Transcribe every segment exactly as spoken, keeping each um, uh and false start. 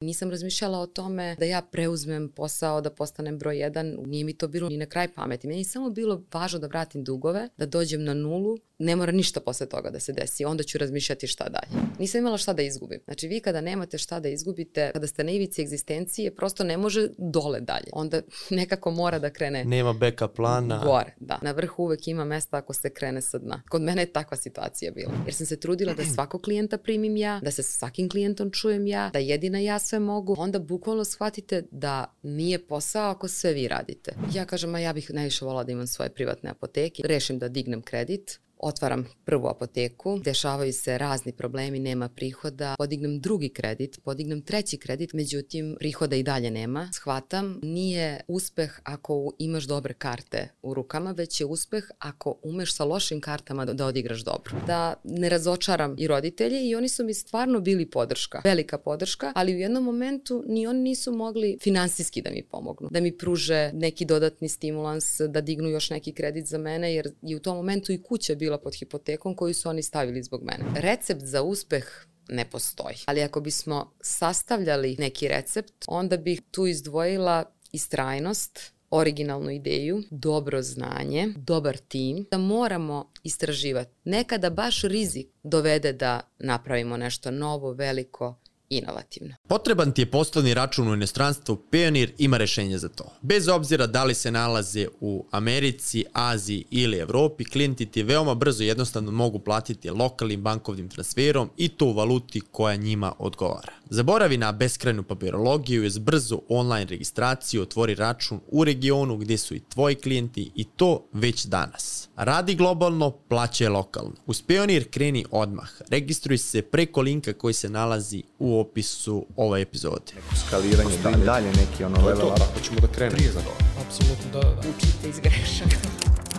Nisam razmišljala o tome da ja preuzmem posao, da postanem broj jedan, nije mi to bilo ni na kraj pameti. Meni je samo bilo važno da vratim dugove, da dođem na nulu, ne mora ništa posle toga da se desi, onda ću razmišljati šta dalje. Nisam imala šta da izgubim. Znači vi kada nemate šta da izgubite, kada ste na ivici egzistencije, prosto ne može dole dalje. Onda nekako mora da krene... Nema backup plana. Gore, da. Na vrhu uvek ima mesta ako se krene sa dna. Kod mene je takva situacija bila. Jer sam se trudila da svakog klijenta primim ja, da se sa svakim klijentom čujem ja, da jedina ja sve mogu. Onda bukvalno shvatite da nije posao ako sve vi radite. Ja kažem, a ja bih najviše volala da imam svoje privatne apoteke. Rešim da dignem kredit. Otvaram prvu apoteku, dešavaju se razni problemi, nema prihoda, podignem drugi kredit, podignem treći kredit, međutim prihoda i dalje nema. Shvatam, nije uspeh ako imaš dobre karte u rukama, već je uspeh ako umeš sa lošim kartama da odigraš dobro. Da ne razočaram i roditelje i oni su mi stvarno bili podrška, velika podrška, ali u jednom momentu ni oni nisu mogli finansijski da mi pomognu, da mi pruže neki dodatni stimulans, da dignu još neki kredit za mene, jer je u tom momentu i kuća bila pod hipotekom koju su oni stavili zbog mene. Recept za uspeh ne postoji. Ali ako bismo sastavljali neki recept, onda bih tu izdvojila istrajnost, originalnu ideju, dobro znanje, dobar tim, da moramo istraživati. Nekada baš rizik dovede da napravimo nešto novo, veliko, inovativno. Potreban ti je poslovni račun u inostranstvu, Payoneer ima rešenje za to. Bez obzira da li se nalaze u Americi, Aziji ili Evropi, klijenti ti veoma brzo i jednostavno mogu platiti lokalnim bankovnim transferom i to u valuti koja njima odgovara. Zaboravi na beskrajnu papirologiju, uz brzu online registraciju otvori račun u regionu gdje su i tvoji klijenti i to već danas. Radi globalno, plaćaj lokalno. Uz Payoneer kreni odmah. Registruj se preko linka koji se nalazi u opisu ove epizode. Skaliranje, dalje, dalje neki ono level up. Tako ćemo da krenemo. Prije za to. Apsolutno, da, da. Učite iz grešaka.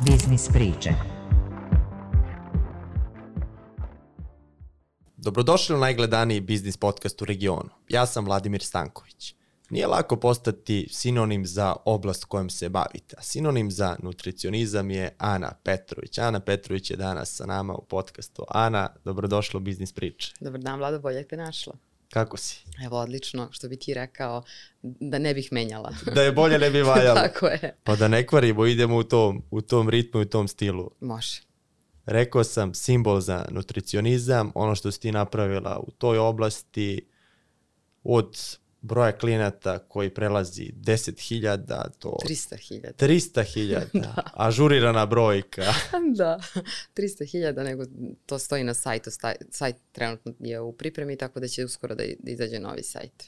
Biznis priče. Dobrodošli u najgledaniji biznis podcast u regionu. Ja sam Vladimir Stanković. Nije lako postati sinonim za oblast kojom se bavite, a sinonim za nutricionizam je Ana Petrović. Ana Petrović je danas sa nama u podcastu. Ana, dobrodošla u Biznis priče. Dobar dan, Vlado, bolje te našla. Kako si? Evo, odlično, što bi ti rekao da ne bih menjala. Da je bolje ne bi valjalo. Tako je. Pa da ne kvarimo, idemo u tom, u tom ritmu i u tom stilu. Može. Rekao sam simbol za nutricionizam, ono što si ti napravila u toj oblasti od broja klijenata koji prelazi deset hiljada do... trista hiljada. trista hiljada. Ažurirana brojka. Da, trista hiljada, nego to stoji na sajtu. Sajt trenutno je u pripremi, tako da će uskoro da izađe novi sajt.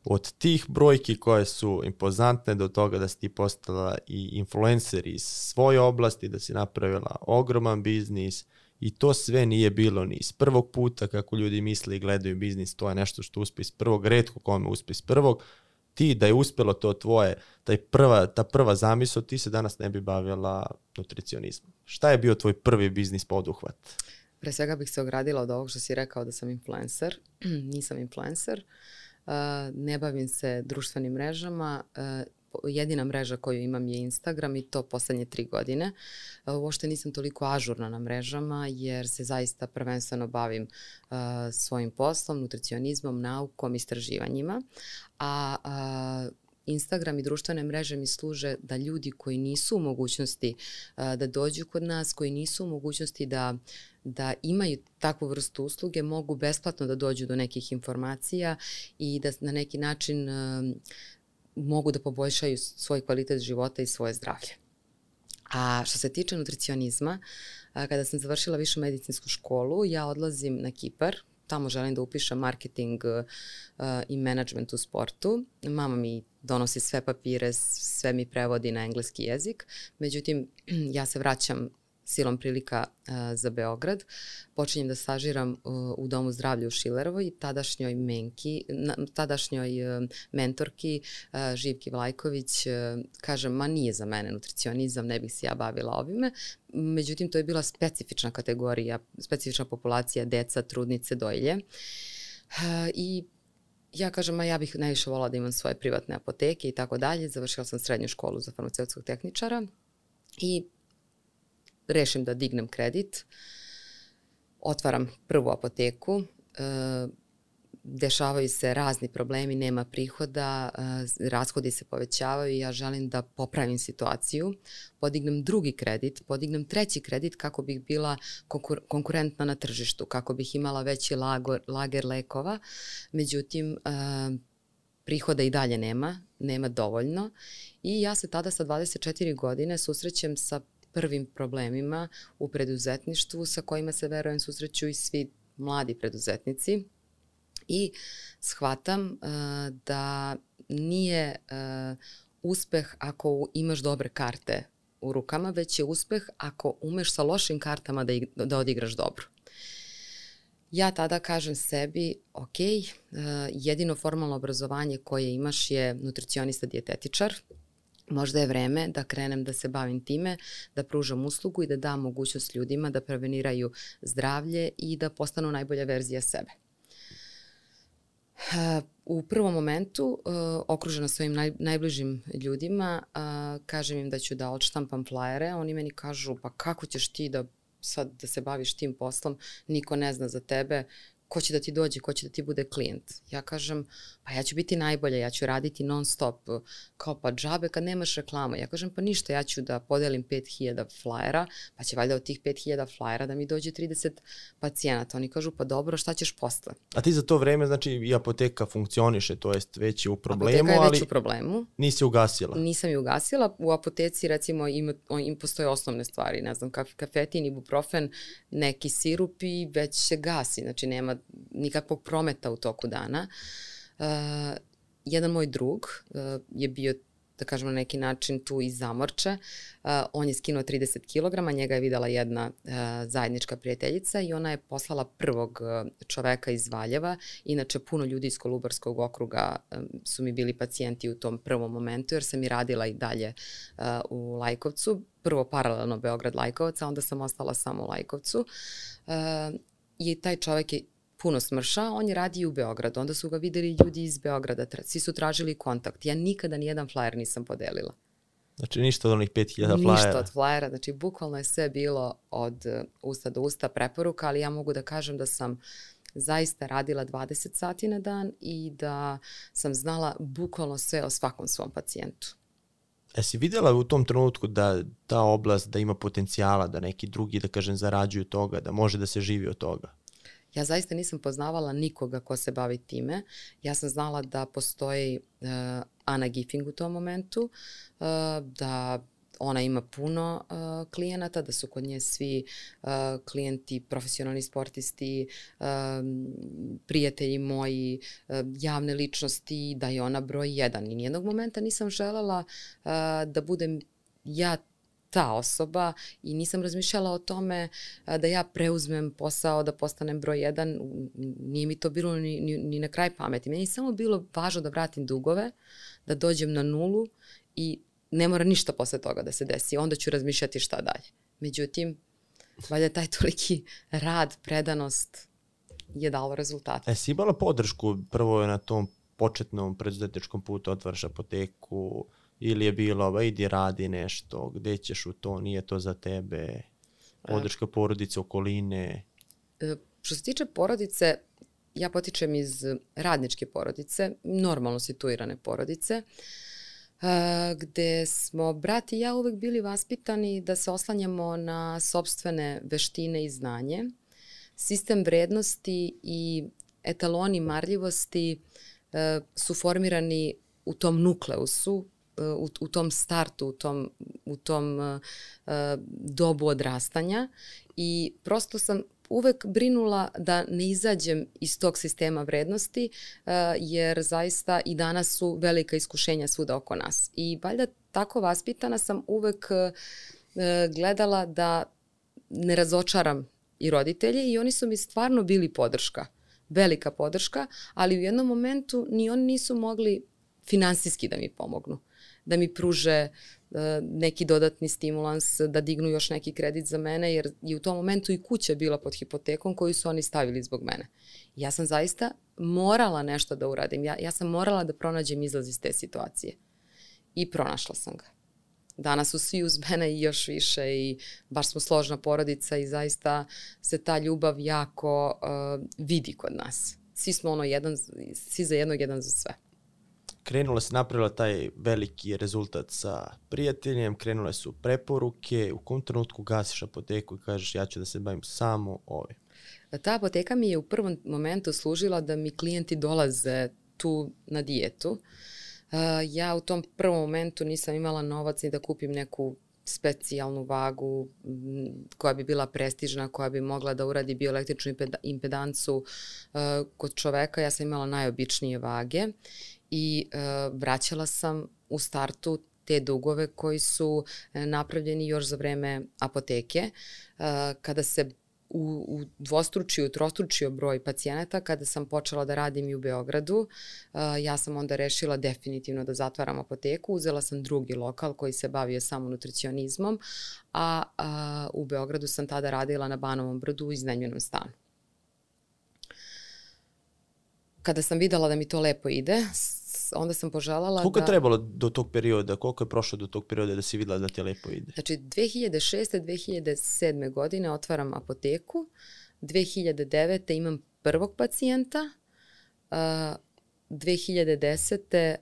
Od tih brojki koje su impozantne do toga da si ti postala i influencer iz svoje oblasti, da si napravila ogroman biznis i to sve nije bilo ni iz prvog puta kako ljudi misle i gledaju biznis, to je nešto što uspe iz prvog, retko kome uspe iz prvog. Ti da je uspelo to tvoje, taj prva, ta prva zamisao, ti se danas ne bi bavila nutricionizmom. Šta je bio tvoj prvi biznis poduhvat? Pre svega bih se ogradila od ovog što si rekao da sam influencer. Nisam influencer. Uh, ne bavim se društvenim mrežama, uh, jedina mreža koju imam je Instagram i to poslednje tri godine. Uh, uopšte nisam toliko ažurna na mrežama jer se zaista prvenstveno bavim uh, svojim poslom, nutricionizmom, naukom, istraživanjima, a uh, Instagram i društvene mreže mi služe da ljudi koji nisu u mogućnosti uh, da dođu kod nas, koji nisu u mogućnosti da da imaju takvu vrstu usluge, mogu besplatno da dođu do nekih informacija i da na neki način um, mogu da poboljšaju svoj kvalitet života i svoje zdravlje. A što se tiče nutricionizma, a, kada sam završila višu medicinsku školu, ja odlazim na Kipar. Tamo želim da upišem marketing uh, i management u sportu. Mama mi donosi sve papire, sve mi prevodi na engleski jezik. Međutim, ja se vraćam silom prilika uh, za Beograd. Počinjem da stažiram uh, u Domu zdravlja u Šilerovoj, tadašnjoj menki, na, tadašnjoj uh, mentorki uh, Živki Vlajković uh, kažem, ma nije za mene nutricionizam, ne bih se ja bavila ovime. Međutim, to je bila specifična kategorija, specifična populacija, deca, trudnice, dojilje. Uh, I ja kažem, a ja bih najviše volala da imam svoje privatne apoteke i tako dalje. Završila sam srednju školu za farmaceutskog tehničara i rešim da dignem kredit, otvaram prvu apoteku, dešavaju se razni problemi, nema prihoda, uh, rashodi se povećavaju i ja želim da popravim situaciju, podignem drugi kredit, podignem treći kredit kako bih bila konkur konkurentna na tržištu, kako bih imala veći lagor, lager lekova. Međutim, uh, prihoda i dalje nema, nema dovoljno i ja se tada sa dvadeset četiri godine susrećem sa prvim problemima u preduzetništvu sa kojima se, verujem, susreću i svi mladi preduzetnici i shvatam uh, da nije uh, uspeh ako imaš dobre karte u rukama, već je uspeh ako umeš sa lošim kartama da, da odigraš dobro. Ja tada kažem sebi, ok, uh, jedino formalno obrazovanje koje imaš je nutricionista dijetetičar, možda je vreme da krenem da se bavim time, da pružam uslugu i da dam mogućnost ljudima da preveniraju zdravlje i da postanu najbolja verzija sebe. U prvom momentu, okružena svojim naj, najbližim ljudima, kažem im da ću da odštampam flajere, oni meni kažu, pa kako ćeš ti da sad da se baviš tim poslom, niko ne zna za tebe, ko će da ti dođe, ko će da ti bude klijent. Ja kažem, pa ja ću biti najbolja, ja ću raditi non stop, kao pa džabe kad nemaš reklamu. Ja kažem, pa ništa, ja ću da podelim pet hiljada flajera, pa će valjda od tih pet hiljada flajera da mi dođe trideset pacijenata. Oni kažu, pa dobro, šta ćeš posle? A ti za to vreme, znači, i apoteka funkcioniše, to jest već je u problemu, apoteka je ali već u problemu. Nisi ugasila? Nisam je ugasila. U apoteci, recimo, ima, im postoje osnovne stvari, ne znam, kafetin, ibuprofen, neki sirup i već se gasi, znači nema nikakvog prometa u toku dana. Uh, jedan moj drug uh, je bio, da kažemo na neki način, tu iz Zamorče. Uh, on je skinuo trideset kilograma, njega je videla jedna uh, zajednička prijateljica i ona je poslala prvog uh, čoveka iz Valjeva. Inače, puno ljudi iz Kolubarskog okruga um, su mi bili pacijenti u tom prvom momentu, jer sam i radila i dalje uh, u Lajkovcu. Prvo paralelno Beograd-Lajkovac, a onda sam ostala samo u Lajkovcu. Uh, I taj čovek je puno smršao, on je radio u Beogradu, onda su ga videli ljudi iz Beograda, svi su tražili kontakt. Ja nikada nijedan flajer nisam podelila. Znači ništa od onih pet hiljada flajera? Ništa od flajera, znači bukvalno je sve bilo od usta do usta preporuka, ali ja mogu da kažem da sam zaista radila dvadeset sati na dan i da sam znala bukvalno sve o svakom svom pacijentu. Jesi vidjela u tom trenutku da ta oblast da ima potencijala, da neki drugi, da kažem, zarađuju toga, da može da se živi od toga? Ja zaista nisam poznavala nikoga ko se bavi time. Ja sam znala da postoji uh, Ana Giffing u tom momentu, uh, da ona ima puno uh, klijenata, da su kod nje svi uh, klijenti, profesionalni sportisti, uh, prijatelji moji, uh, javne ličnosti, da je ona broj jedan. I nijednog momenta nisam želela uh, da budem ja ta osoba i nisam razmišljala o tome da ja preuzmem posao, da postanem broj jedan. Nije mi to bilo ni, ni, ni na kraj pameti. Meni je samo bilo važno da vratim dugove, da dođem na nulu i ne mora ništa posle toga da se desi. Onda ću razmišljati šta dalje. Međutim, valjda taj toliki rad, predanost je dalo rezultate. E, si imala podršku prvo je na tom početnom preduzetničkom putu, otvaraš apoteku, ili je bilo, ba, idi radi nešto, gde ćeš u to, nije to za tebe, podrška porodice, okoline? E, što se tiče porodice, ja potičem iz radničke porodice, normalno situirane porodice, e, gde smo brat i ja uvek bili vaspitani da se oslanjamo na sopstvene veštine i znanje. Sistem vrednosti i etaloni marljivosti e, su formirani u tom nukleusu, U, u tom startu, u tom, u tom uh, dobu odrastanja i prosto sam uvek brinula da ne izađem iz tog sistema vrednosti uh, jer zaista i danas su velika iskušenja svuda oko nas. I valjda tako vaspitana sam uvek uh, gledala da ne razočaram i roditelje i oni su mi stvarno bili podrška, velika podrška, ali u jednom momentu ni oni nisu mogli finansijski da mi pomognu, da mi pruže uh, neki dodatni stimulans, da dignu još neki kredit za mene, jer je u tom momentu i kuća bila pod hipotekom koju su oni stavili zbog mene. Ja sam zaista morala nešto da uradim. Ja, ja sam morala da pronađem izlaz iz te situacije. I pronašla sam ga. Danas su svi uz mene i još više i baš smo složna porodica i zaista se ta ljubav jako uh, vidi kod nas. svi smo ono jedan, svi za jednog, jedan za sve. Krenula se, napravila taj veliki rezultat sa prijateljem, krenule su preporuke, u kom trenutku gasiš apoteku i kažeš ja ću da se bavim samo ovim? Ta apoteka mi je u prvom momentu služila da mi klijenti dolaze tu na dijetu. Uh, ja u tom prvom momentu nisam imala novac ni da kupim neku specijalnu vagu koja bi bila prestižna, koja bi mogla da uradi bioelektričnu impedancu uh, kod čoveka. Ja sam imala najobičnije vage i uh, vraćala sam u startu te dugove koji su napravljeni još za vreme apoteke. Uh, kada se u, u dvostručio, trostručio broj pacijenata, kada sam počela da radim i u Beogradu, uh, ja sam onda rešila definitivno da zatvaram apoteku. Uzela sam drugi lokal koji se bavio samo nutricionizmom, a, a u Beogradu sam tada radila na Banovom brdu u iznajmljenom stanu. Kada sam videla da mi to lepo ide, onda sam poželjala da... Koliko je trebalo do tog perioda, koliko je prošlo do tog perioda da si videla da ti lepo ide? Znači, dve hiljade šeste. dve hiljade sedme. godine otvaram apoteku, dve hiljade devete. imam prvog pacijenta, dve hiljade desete.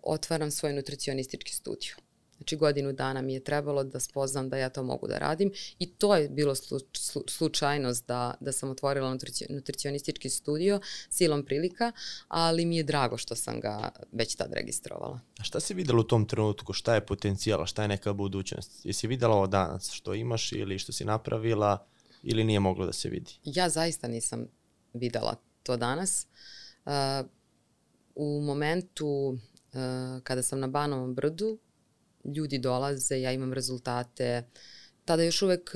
otvaram svoj nutricionistički studiju. Znači, godinu dana mi je trebalo da spoznam da ja to mogu da radim i to je bilo slu, slu, slučajnost da, da sam otvorila nutrici, nutricionistički studio silom prilika, ali mi je drago što sam ga već tad registrovala. A šta si videla u tom trenutku? Šta je potencijala? Šta je neka budućnost? Jesi videla ovo danas što imaš ili što si napravila ili nije moglo da se vidi? Ja zaista nisam videla to danas. Uh, u momentu uh, kada sam na Banovom brdu, ljudi dolaze, ja imam rezultate. Tada još uvek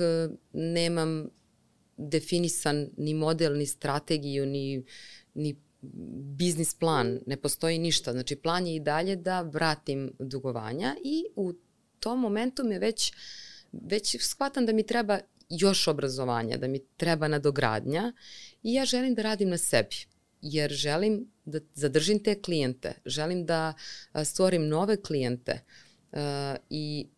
nemam definisan ni model, ni strategiju, ni, ni biznis plan. Ne postoji ništa. Znači, plan je i dalje da vratim dugovanja i u tom momentu me već, već shvatam da mi treba još obrazovanja, da mi treba nadogradnja i ja želim da radim na sebi. Jer želim da zadržim te klijente, želim da stvorim nove klijente. Uh, i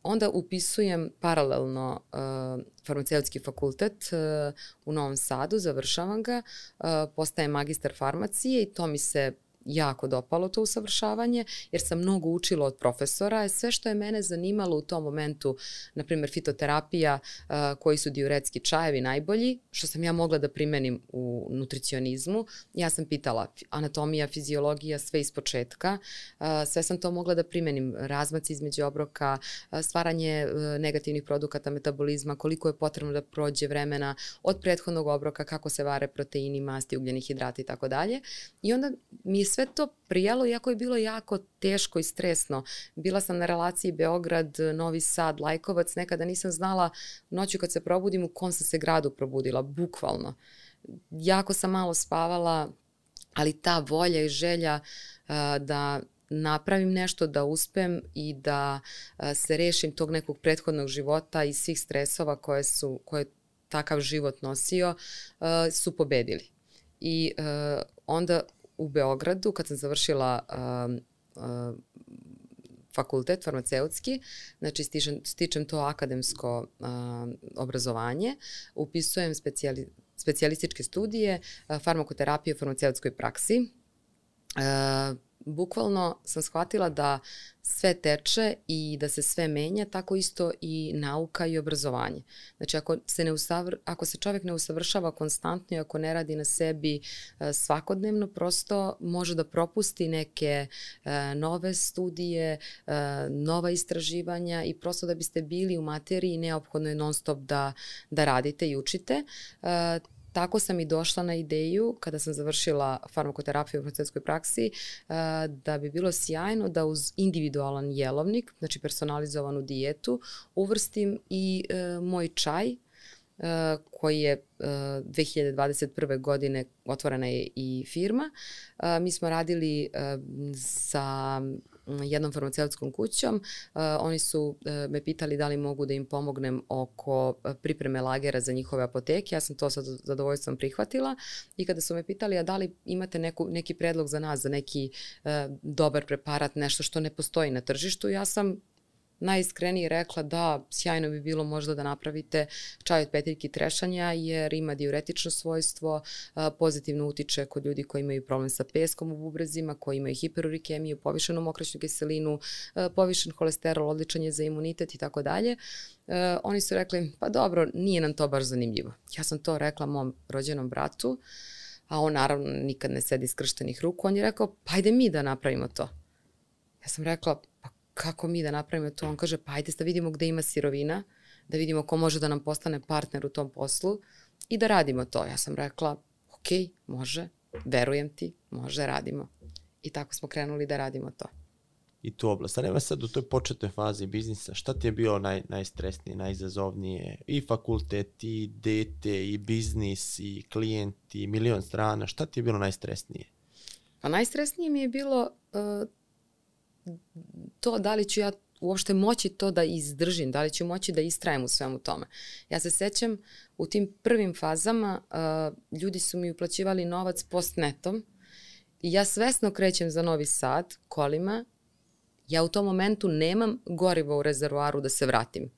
onda upisujem paralelno uh, farmaceutski fakultet uh, u Novom Sadu, završavam ga, uh, postajem magistar farmacije i to mi se jako dopalo to usavršavanje, jer sam mnogo učila od profesora. Sve što je mene zanimalo u tom momentu, na primjer fitoterapija, uh, koji su diuretski čajevi najbolji, što sam ja mogla da primenim u nutricionizmu. Ja sam pitala anatomija, fiziologija, sve iz početka. Uh, sve sam to mogla da primenim. Razmaci između obroka, uh, stvaranje uh, negativnih produkata metabolizma, koliko je potrebno da prođe vremena od prethodnog obroka, kako se vare proteini, masti, ugljeni hidrati i tako dalje. I onda mi je sve to prijalo, iako je bilo jako teško i stresno. Bila sam na relaciji Beograd, Novi Sad, Lajkovac, nekada nisam znala noću kad se probudim u kom sam se gradu probudila, bukvalno. Jako sam malo spavala, ali ta volja i želja uh, da napravim nešto, da uspem i da uh, se rešim tog nekog prethodnog života i svih stresova koje su, koje takav život nosio, uh, su pobedili. I uh, onda u Beogradu, kad sam završila uh, uh, fakultet farmaceutski, znači stičem, stičem to akademsko uh, obrazovanje, upisujem specijali, specijalističke studije uh, farmakoterapije u farmaceutskoj praksi. Uh, bukvalno sam shvatila da sve teče i da se sve menja, tako isto i nauka i obrazovanje. Znači, ako se, ne usavr, ako se čovjek ne usavršava konstantno i ako ne radi na sebi uh, svakodnevno, prosto može da propusti neke uh, nove studije, uh, nova istraživanja i prosto da biste bili u materiji neophodno je non stop da, da radite i učite. Uh, Tako sam i došla na ideju, kada sam završila farmakoterapiju u farmaceutskoj praksi, da bi bilo sjajno da uz individualan jelovnik, znači personalizovanu dijetu, uvrstim i moj čaj, koji je dve hiljade dvadeset prve. godine otvorena je i firma. Mi smo radili sa jednom farmaceutskom kućom. Uh, oni su uh, me pitali da li mogu da im pomognem oko pripreme lagera za njihove apoteke. Ja sam to sa zadovoljstvom prihvatila i kada su me pitali a da li imate neku, neki predlog za nas, za neki uh, dobar preparat, nešto što ne postoji na tržištu, ja sam najiskrenije rekla da sjajno bi bilo možda da napravite čaj od petiljki trešanja jer ima diuretično svojstvo, pozitivno utiče kod ljudi koji imaju problem sa peskom u bubrezima, koji imaju hiperurikemiju, povišenu mokraćnu kiselinu, povišen holesterol, odličan je za imunitet i tako dalje. Oni su rekli, pa dobro, nije nam to baš zanimljivo. Ja sam to rekla mom rođenom bratu, a on naravno nikad ne sedi skrštenih ruku. On je rekao, pa ajde mi da napravimo to. Ja sam rekla, pa kako mi da napravimo to? On kaže, pa ajde da vidimo gde ima sirovina, da vidimo ko može da nam postane partner u tom poslu i da radimo to. Ja sam rekla, ok, može, verujem ti, može, radimo. I tako smo krenuli da radimo to. I tu oblast. A nema sad u toj početnoj fazi biznisa, šta ti je bilo naj, najstresnije, najizazovnije? I fakultet, i dete, i biznis, i klijenti, i milion strana. Šta ti je bilo najstresnije? Pa najstresnije mi je bilo uh, to da li ću ja uopšte moći to da izdržim, da li ću moći da istrajem u svemu tome. Ja se sećam u tim prvim fazama uh, ljudi su mi uplaćivali novac postnetom i ja svesno krećem za Novi Sad kolima. Ja u tom momentu nemam gorivo u rezervoaru da se vratim.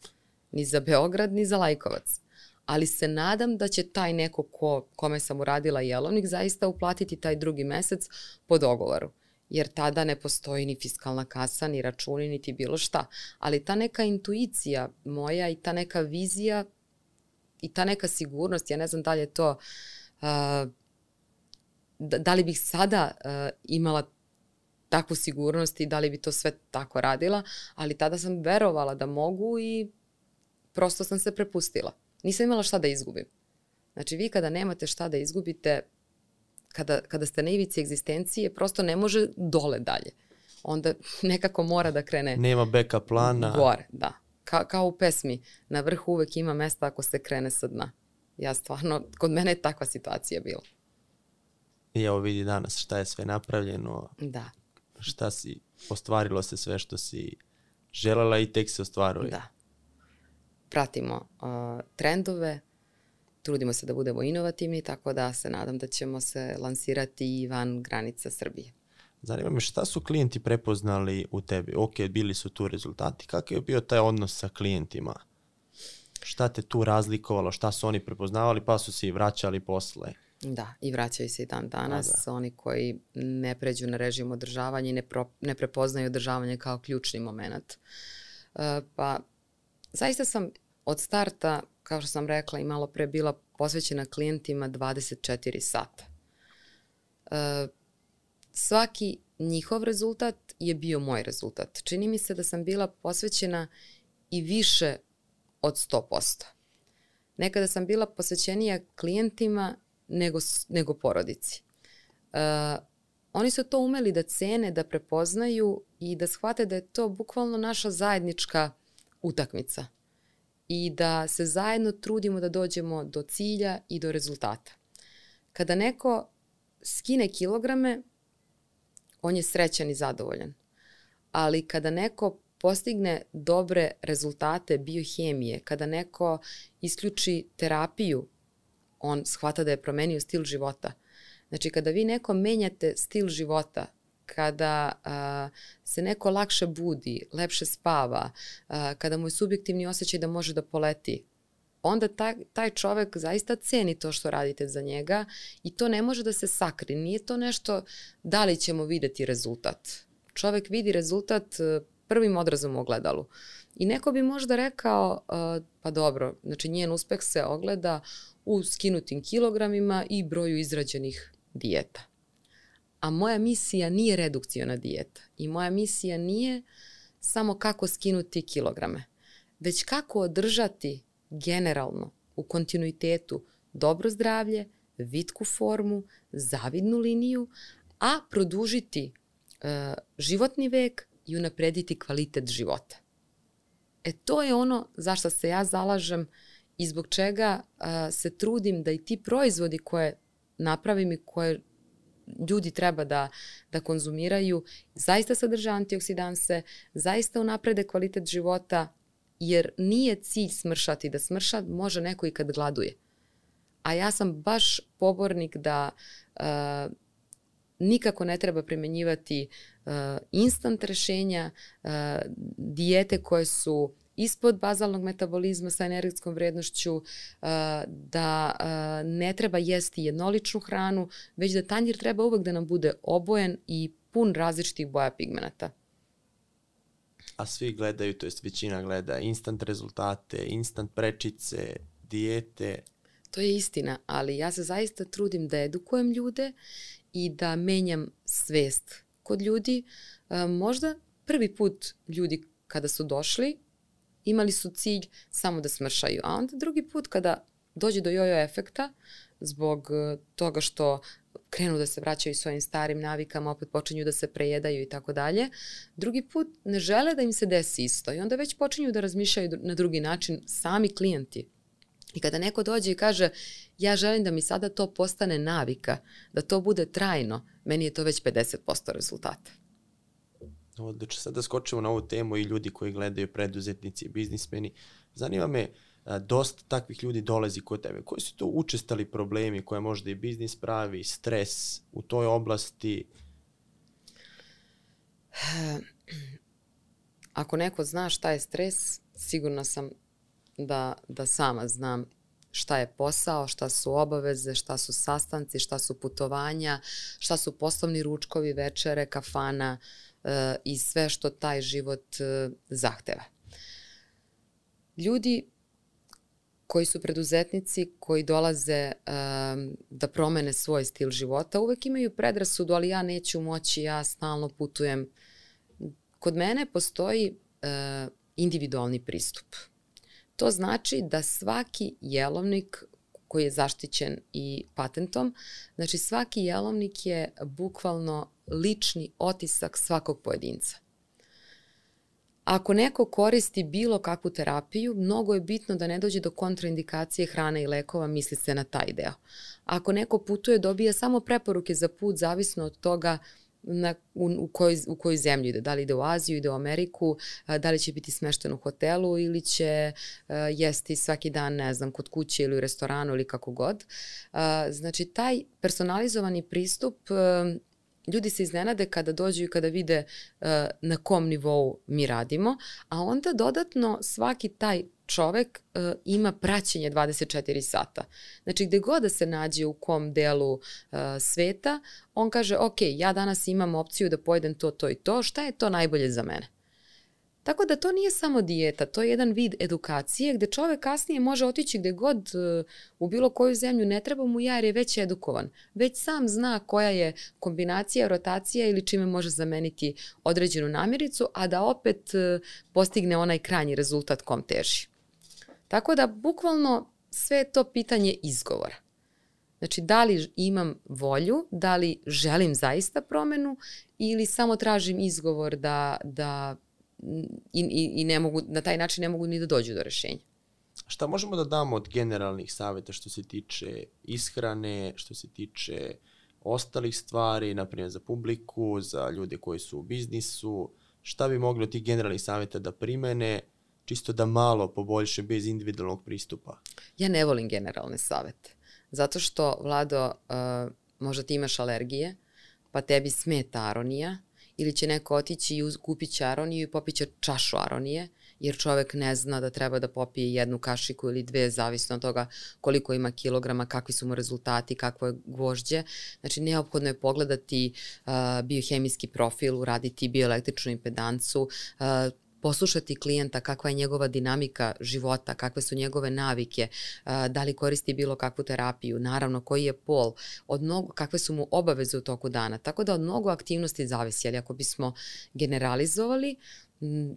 Ni za Beograd, ni za Lajkovac. Ali se nadam da će taj neko ko, kome sam uradila jelovnik zaista uplatiti taj drugi mesec po dogovoru. Jer tada ne postoji ni fiskalna kasa, ni računi, niti bilo šta. Ali ta neka intuicija moja i ta neka vizija i ta neka sigurnost, ja ne znam da li je to, uh, da, da li bih sada uh, imala takvu sigurnost i da li bi to sve tako radila, ali tada sam verovala da mogu i prosto sam se prepustila. Nisam imala šta da izgubim. Znači vi kada nemate šta da izgubite, kada, kada ste na ivici egzistencije, prosto ne može dole dalje. Onda nekako mora da krene... Nema backup plana. Gore, da. Ka, kao u pesmi, na vrhu uvek ima mesta ako se krene sa dna. Ja stvarno, kod mene je takva situacija bila. I evo vidi danas šta je sve napravljeno. Da. Šta si, ostvarilo se sve što si želela i tek se ostvaruje. Da. Pratimo uh, trendove, trudimo se da budemo inovativni, tako da se nadam da ćemo se lansirati i van granica Srbije. Zanima me šta su klijenti prepoznali u tebi? Ok, bili su tu rezultati. Kakav je bio taj odnos sa klijentima? Šta te tu razlikovalo? Šta su oni prepoznavali pa su se i vraćali posle? Da, i vraćaju se i dan danas. A, da. Oni koji ne pređu na režim održavanja i ne, pro, ne prepoznaju održavanje kao ključni moment. Uh, pa, zaista sam od starta, kao što sam rekla i malo pre, bila posvećena klijentima dvadeset četiri sata. Uh, svaki njihov rezultat je bio moj rezultat. Čini mi se da sam bila posvećena i više od sto posto. Nekada sam bila posvećenija klijentima nego, nego porodici. Uh, oni su to umeli da cene, da prepoznaju i da shvate da je to bukvalno naša zajednička utakmica i da se zajedno trudimo da dođemo do cilja i do rezultata. Kada neko skine kilograme, on je srećan i zadovoljan. Ali kada neko postigne dobre rezultate biohemije, kada neko isključi terapiju, on shvata da je promenio stil života. Znači, kada vi neko menjate stil života, kada a, se neko lakše budi, lepše spava, a, kada mu je subjektivni osjećaj da može da poleti, onda taj, taj čovek zaista ceni to što radite za njega i to ne može da se sakri. Nije to nešto da li ćemo videti rezultat. Čovek vidi rezultat prvim odrazom u ogledalu. I neko bi možda rekao, uh, pa dobro, znači njen uspeh se ogleda u skinutim kilogramima i broju izrađenih dijeta. A moja misija nije redukciona dijeta. I moja misija nije samo kako skinuti kilograme, već kako održati generalno u kontinuitetu dobro zdravlje, vitku formu, zavidnu liniju, a produžiti uh, životni vek i unaprediti kvalitet života. E to je ono za što se ja zalažem i zbog čega uh, se trudim da i ti proizvodi koje napravim i koje ljudi treba da, da konzumiraju zaista sadrže antioksidanse, zaista unaprede kvalitet života, jer nije cilj smršati. Da smrša može neko i kad gladuje. A ja sam baš pobornik da uh, nikako ne treba primenjivati uh, instant rešenja, uh, dijete koje su ispod bazalnog metabolizma sa energetskom vrednošću, uh, da uh, ne treba jesti jednoličnu hranu, već da tanjir treba uvek da nam bude obojen i pun različitih boja pigmenata. A svi gledaju, to jest većina gleda instant rezultate, instant prečice, dijete. To je istina, ali ja se zaista trudim da edukujem ljude i da menjam svest kod ljudi. Uh, možda prvi put ljudi kada su došli imali su cilj samo da smršaju, a onda drugi put kada dođe do jojo efekta zbog toga što krenu da se vraćaju svojim starim navikama, opet počinju da se prejedaju i tako dalje, drugi put ne žele da im se desi isto i onda već počinju da razmišljaju na drugi način sami klijenti. I kada neko dođe i kaže ja želim da mi sada to postane navika, da to bude trajno, meni je to već pedeset posto rezultata. Odlično, sad da skočimo na ovu temu i ljudi koji gledaju, preduzetnici, biznismeni. Zanima me, dosta takvih ljudi dolazi kod tebe. Koji su to učestali problemi koje možda i biznis pravi, stres u toj oblasti? Ako neko zna šta je stres, sigurna sam da, da sama znam šta je posao, šta su obaveze, šta su sastanci, šta su putovanja, šta su poslovni ručkovi, večere, kafana, i sve što taj život zahteva. Ljudi koji su preduzetnici, koji dolaze um, da promene svoj stil života, uvek imaju predrasudu, ali ja neću moći, ja stalno putujem. Kod mene postoji uh, individualni pristup. To znači da svaki jelovnik koji je zaštićen i patentom, znači svaki jelovnik je bukvalno lični otisak svakog pojedinca. Ako neko koristi bilo kakvu terapiju, mnogo je bitno da ne dođe do kontraindikacije hrane i lekova, misli se na taj deo. Ako neko putuje, dobija samo preporuke za put, zavisno od toga na, u, u, kojoj, u koju zemlju ide. Da li ide u Aziju, ide u Ameriku, da li će biti smešten u hotelu ili će uh, jesti svaki dan, ne znam, kod kuće ili u restoranu ili kako god. Uh, znači, taj personalizovani pristup, uh, ljudi se iznenade kada dođu i kada vide uh, na kom nivou mi radimo, a onda dodatno svaki taj čovek uh, ima praćenje dvadeset četiri sata. Znači, gde god da se nađe u kom delu uh, sveta, on kaže, ok, ja danas imam opciju da pojedem to, to i to, šta je to najbolje za mene? Tako da to nije samo dijeta, to je jedan vid edukacije gde čovek kasnije može otići gde god uh, u bilo koju zemlju, ne treba mu ja jer je već edukovan. Već sam zna koja je kombinacija, rotacija ili čime može zameniti određenu namirnicu, a da opet uh, postigne onaj krajnji rezultat kom teži. Tako da bukvalno sve je to pitanje izgovora. Znači, da li imam volju, da li želim zaista promenu ili samo tražim izgovor da, da i, i, i ne mogu, na taj način ne mogu ni da dođu do rešenja. Šta možemo da damo od generalnih savjeta što se tiče ishrane, što se tiče ostalih stvari, naprimjer za publiku, za ljude koji su u biznisu, šta bi mogli od tih generalnih savjeta da primene, čisto da malo poboljše bez individualnog pristupa? Ja ne volim generalne savete, zato što, Vlado, uh, možda ti imaš alergije, pa tebi smeta aronija, ili će neko otići i kupit će aroniju i popit će čašu aronije, jer čovek ne zna da treba da popije jednu kašiku ili dve, zavisno od toga koliko ima kilograma, kakvi su mu rezultati, kakvo je gvožđe. Znači, neophodno je pogledati uh, biohemijski profil, uraditi bioelektričnu impedancu, uh, poslušati klijenta kakva je njegova dinamika života, kakve su njegove navike, da li koristi bilo kakvu terapiju, naravno koji je pol, od mnogo, kakve su mu obaveze u toku dana. Tako da od mnogo aktivnosti zavisi, ali ako bismo generalizovali,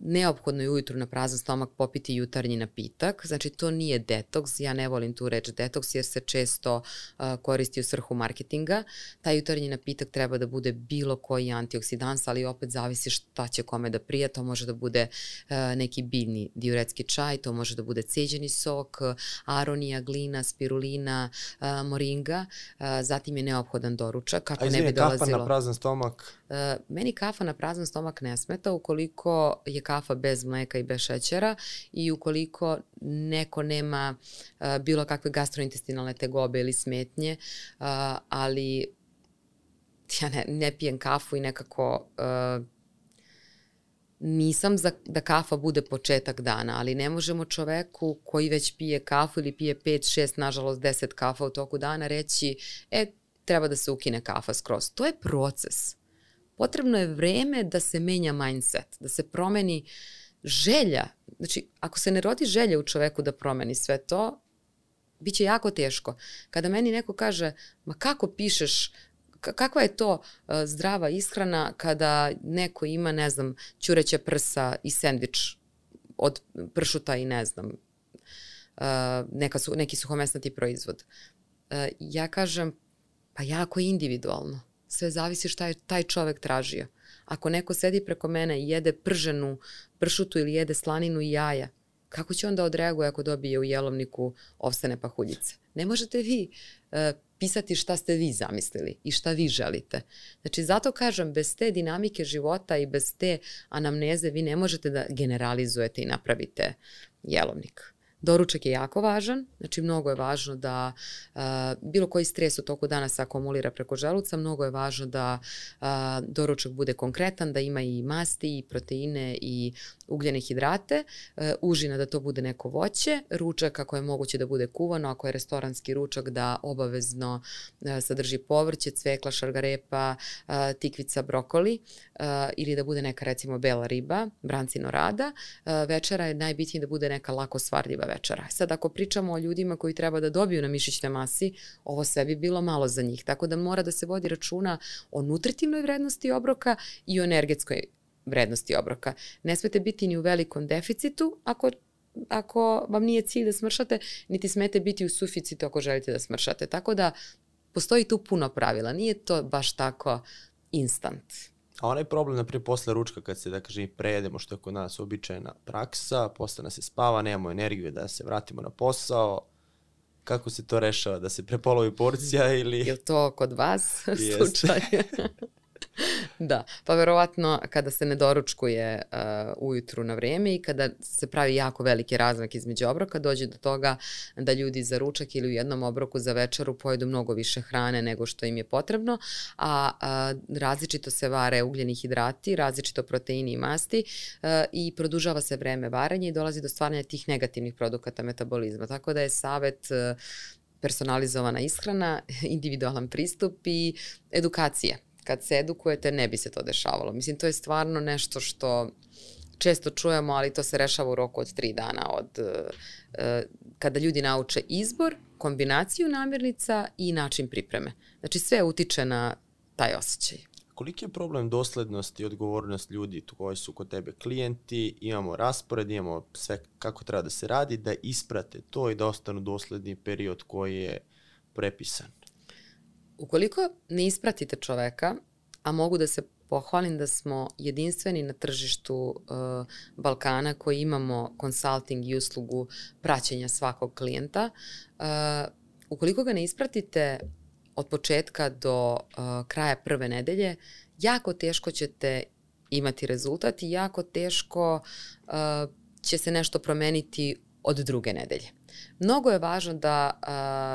neophodno je ujutru na prazan stomak popiti jutarnji napitak, znači to nije detoks, ja ne volim tu reč detoks jer se često uh, koristi u svrhu marketinga. Taj jutarnji napitak treba da bude bilo koji antioksidans, ali opet zavisi šta će kome da prija, to može da bude uh, neki biljni diuretski čaj, to može da bude ceđeni sok, aronija, glina, spirulina, uh, moringa, uh, zatim je neophodan doručak. Kako A izvini, ne bi dolazilo... kafa na prazan stomak? Uh, meni kafa na prazan stomak ne smeta ukoliko je kafa bez mleka i bez šećera i ukoliko neko nema uh, bilo kakve gastrointestinalne tegobe ili smetnje, uh, ali ja ne, ne pijem kafu i nekako uh, nisam za da kafa bude početak dana, ali ne možemo čoveku koji već pije kafu ili pije pet, šest, nažalost deset kafa u toku dana reći, e, treba da se ukine kafa skroz. To je proces. Potrebno je vreme da se menja mindset, da se promeni želja. Znači, ako se ne rodi želja u čoveku da promeni sve to, bit će jako teško. Kada meni neko kaže, ma kako pišeš, kakva je to uh, zdrava ishrana kada neko ima, ne znam, ćureća prsa i sendvič od pršuta i ne znam, uh, neka su, neki suhomesnati proizvod. Uh, ja kažem, pa jako je individualno. Sve zavisi šta je taj čovek tražio. Ako neko sedi preko mene i jede prženu pršutu ili jede slaninu i jaja, kako će onda odreaguje ako dobije u jelovniku ovsene pahuljice? Ne možete vi uh, pisati šta ste vi zamislili i šta vi želite. Znači, zato kažem, bez te dinamike života i bez te anamneze vi ne možete da generalizujete i napravite jelovnik. Doručak je jako važan, znači mnogo je važno da uh, bilo koji stres u toku dana se akumulira preko želuca, mnogo je važno da uh, doručak bude konkretan, da ima i masti, i proteine, i ugljene hidrate, uh, užina da to bude neko voće, ručak ako je moguće da bude kuvano, ako je restoranski ručak da obavezno uh, sadrži povrće, cvekla, šargarepa, uh, tikvica, brokoli, uh, ili da bude neka recimo bela riba, brancino rada. Uh, večera je najbitnije da bude neka lako svarljiva večera. Sad ako pričamo o ljudima koji treba da dobiju na mišićnoj masi, ovo sve bi bilo malo za njih. Tako da mora da se vodi računa o nutritivnoj vrednosti obroka i o energetskoj vrednosti obroka. Ne smete biti ni u velikom deficitu ako, ako vam nije cilj da smršate, niti smete biti u suficitu ako želite da smršate. Tako da postoji tu puno pravila. Nije to baš tako instant. A onaj problem, naprijed, posle ručka kad se, da kažem, prejedemo, što je kod nas običajna praksa, posle nas se spava, nemamo energiju da se vratimo na posao, kako se to rešava? Da se prepolovi porcija ili... Je li to kod vas slučaj? Da, pa verovatno kada se ne doručkuje uh, ujutru na vreme i kada se pravi jako veliki razmak između obroka, dođe do toga da ljudi za ručak ili u jednom obroku za večeru pojedu mnogo više hrane nego što im je potrebno, a, a različito se vare ugljeni hidrati, različito proteini i masti uh, i produžava se vreme varanja i dolazi do stvaranja tih negativnih produkata metabolizma. Tako da je savet uh, personalizovana ishrana, individualan pristup i edukacija. Kad se edukujete, ne bi se to dešavalo. Mislim, to je stvarno nešto što često čujemo, ali to se rešava u roku od tri dana od uh, kada ljudi nauče izbor, kombinaciju namirnica i način pripreme. Znači, sve utiče na taj osjećaj. Koliki je problem doslednost i odgovornost ljudi koji su kod tebe klijenti, imamo raspored, imamo sve kako treba da se radi, da isprate to i da ostanu dosledni period koji je prepisan? Ukoliko ne ispratite čoveka, a mogu da se pohvalim da smo jedinstveni na tržištu uh, Balkana koji imamo consulting i uslugu praćenja svakog klijenta, uh, ukoliko ga ne ispratite od početka do uh, kraja prve nedelje, jako teško ćete imati rezultat i jako teško uh, će se nešto promeniti od druge nedelje. Mnogo je važno da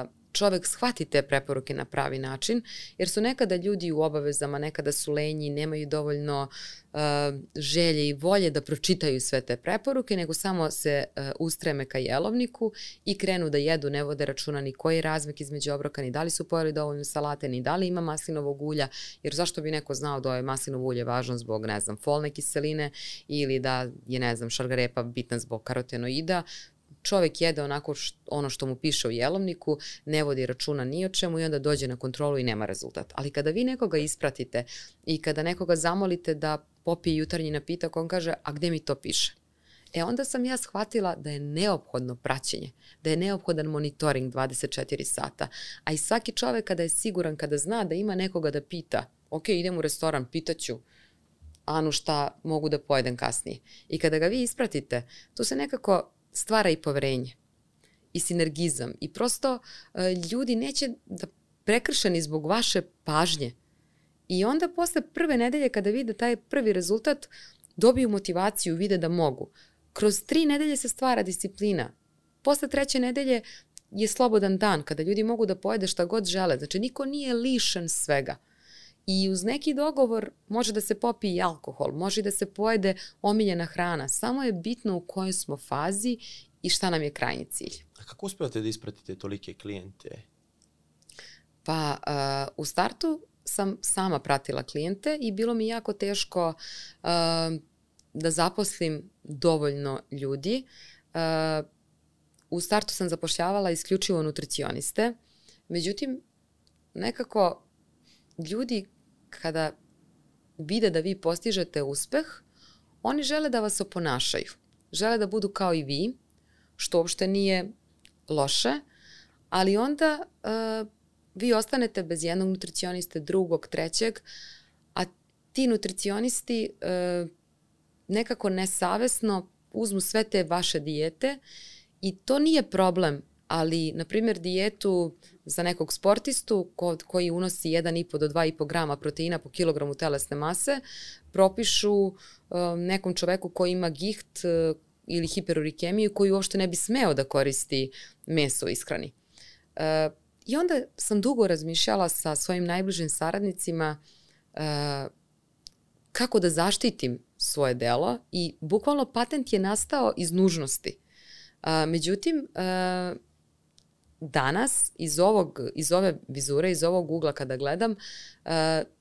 uh, čovek shvati te preporuke na pravi način, jer su nekada ljudi u obavezama, nekada su lenji, nemaju dovoljno uh, želje i volje da pročitaju sve te preporuke, nego samo se uh, ustreme ka jelovniku i krenu da jedu, ne vode računa ni koji je razmak između obroka, ni da li su pojeli dovoljno salate, ni da li ima maslinovog ulja, jer zašto bi neko znao da je maslinovo ulje važno zbog, ne znam, folne kiseline ili da je, ne znam, šargarepa bitna zbog karotenoida. Čovek jede onako što, ono što mu piše u jelovniku, ne vodi računa ni o čemu i onda dođe na kontrolu i nema rezultat. Ali kada vi nekoga ispratite i kada nekoga zamolite da popije jutarnji napitak, on kaže, a gde mi to piše? E onda sam ja shvatila da je neophodno praćenje, da je neophodan monitoring dvadeset četiri sata. A i svaki čovek kada je siguran, kada zna da ima nekoga da pita, ok, idem u restoran, pitaću Anu šta mogu da pojedem kasnije. I kada ga vi ispratite, tu se nekako stvara i poverenje i sinergizam i prosto uh, ljudi neće da prekršeni zbog vaše pažnje i onda posle prve nedelje kada vide taj prvi rezultat dobiju motivaciju, vide da mogu. Kroz tri nedelje se stvara disciplina. Posle treće nedelje je slobodan dan kada ljudi mogu da pojede šta god žele. Znači niko nije lišen svega. I uz neki dogovor može da se popije i alkohol, može da se pojede omiljena hrana. Samo je bitno u kojoj smo fazi i šta nam je krajnji cilj. A kako uspevate da ispratite tolike klijente? Pa uh, u startu sam sama pratila klijente i bilo mi jako teško uh, da zaposlim dovoljno ljudi. Uh, u startu sam zapošljavala isključivo nutricioniste, međutim nekako ljudi kada vide da vi postižete uspeh, oni žele da vas oponašaju. Žele da budu kao i vi, što uopšte nije loše, ali onda uh, vi ostanete bez jednog nutricioniste, drugog, trećeg, a ti nutricionisti uh, nekako nesavesno uzmu sve te vaše dijete i to nije problem, ali, na primjer, dijetu za nekog sportistu ko, koji unosi jedan i po do dva i po grama proteina po kilogramu telesne mase, propišu uh, nekom čoveku koji ima giht uh, ili hiperurikemiju koji uopšte ne bi smeo da koristi meso u ishrani. Uh, I onda sam dugo razmišljala sa svojim najbližim saradnicima uh, kako da zaštitim svoje delo i bukvalno patent je nastao iz nužnosti. Uh, međutim, uh, danas iz, ovog, iz ove vizure, iz ovog ugla kada gledam, uh,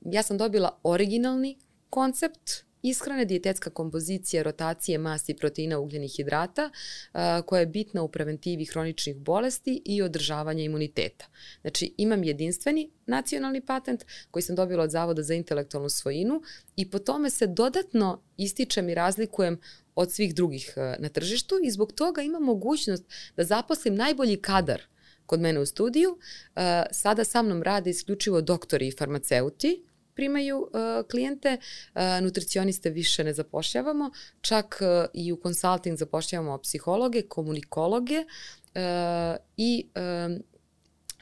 ja sam dobila originalni koncept ishrane, dijetetska kompozicija, rotacije masti, proteina, ugljenih hidrata, uh, koja je bitna u preventivi hroničnih bolesti i održavanja imuniteta. Znači, imam jedinstveni nacionalni patent koji sam dobila od Zavoda za intelektualnu svojinu i po tome se dodatno ističem i razlikujem od svih drugih uh, na tržištu i zbog toga imam mogućnost da zaposlim najbolji kadar kod mene u studiju. Uh, sada sa mnom rade isključivo doktori i farmaceuti, primaju uh, klijente, uh, nutricioniste više ne zapošljavamo, čak uh, i u konsulting zapošljavamo psihologe, komunikologe uh, i um,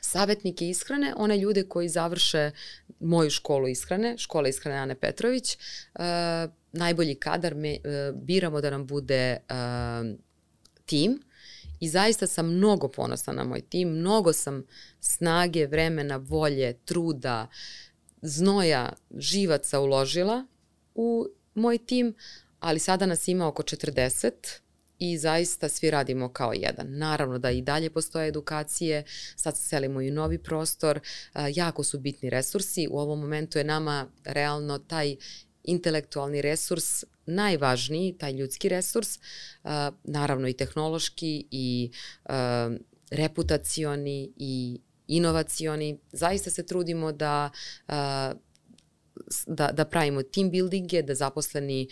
savjetnike ishrane, one ljude koji završe moju školu ishrane, škola ishrane Ane Petrović. Uh, najbolji kadar me, uh, biramo da nam bude uh, tim i zaista sam mnogo ponosna na moj tim, mnogo sam snage, vremena, volje, truda, znoja, živaca uložila u moj tim, ali sada nas ima oko četrdeset i zaista svi radimo kao jedan. Naravno da i dalje postoje edukacije, sad se selimo i u novi prostor, jako su bitni resursi, u ovom momentu je nama realno taj intelektualni resurs najvažniji, taj ljudski resurs, naravno i tehnološki i reputacioni i inovacioni. Zaista se trudimo da, da, da pravimo team buildinge, da zaposleni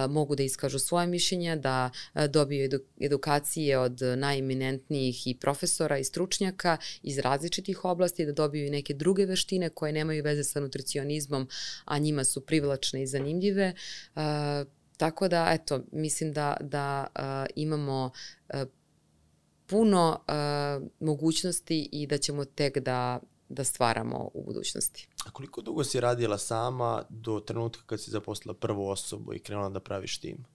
mogu da iskažu svoje mišljenja, da dobiju edu, edukacije od najeminentnijih i profesora i stručnjaka iz različitih oblasti, da dobiju i neke druge veštine koje nemaju veze sa nutricionizmom, a njima su privlačne i zanimljive. Tako da, eto, mislim da, da imamo puno uh, mogućnosti i da ćemo tek da, da stvaramo u budućnosti. A koliko dugo si radila sama do trenutka kad si zaposlila prvu osobu i krenula da praviš tim?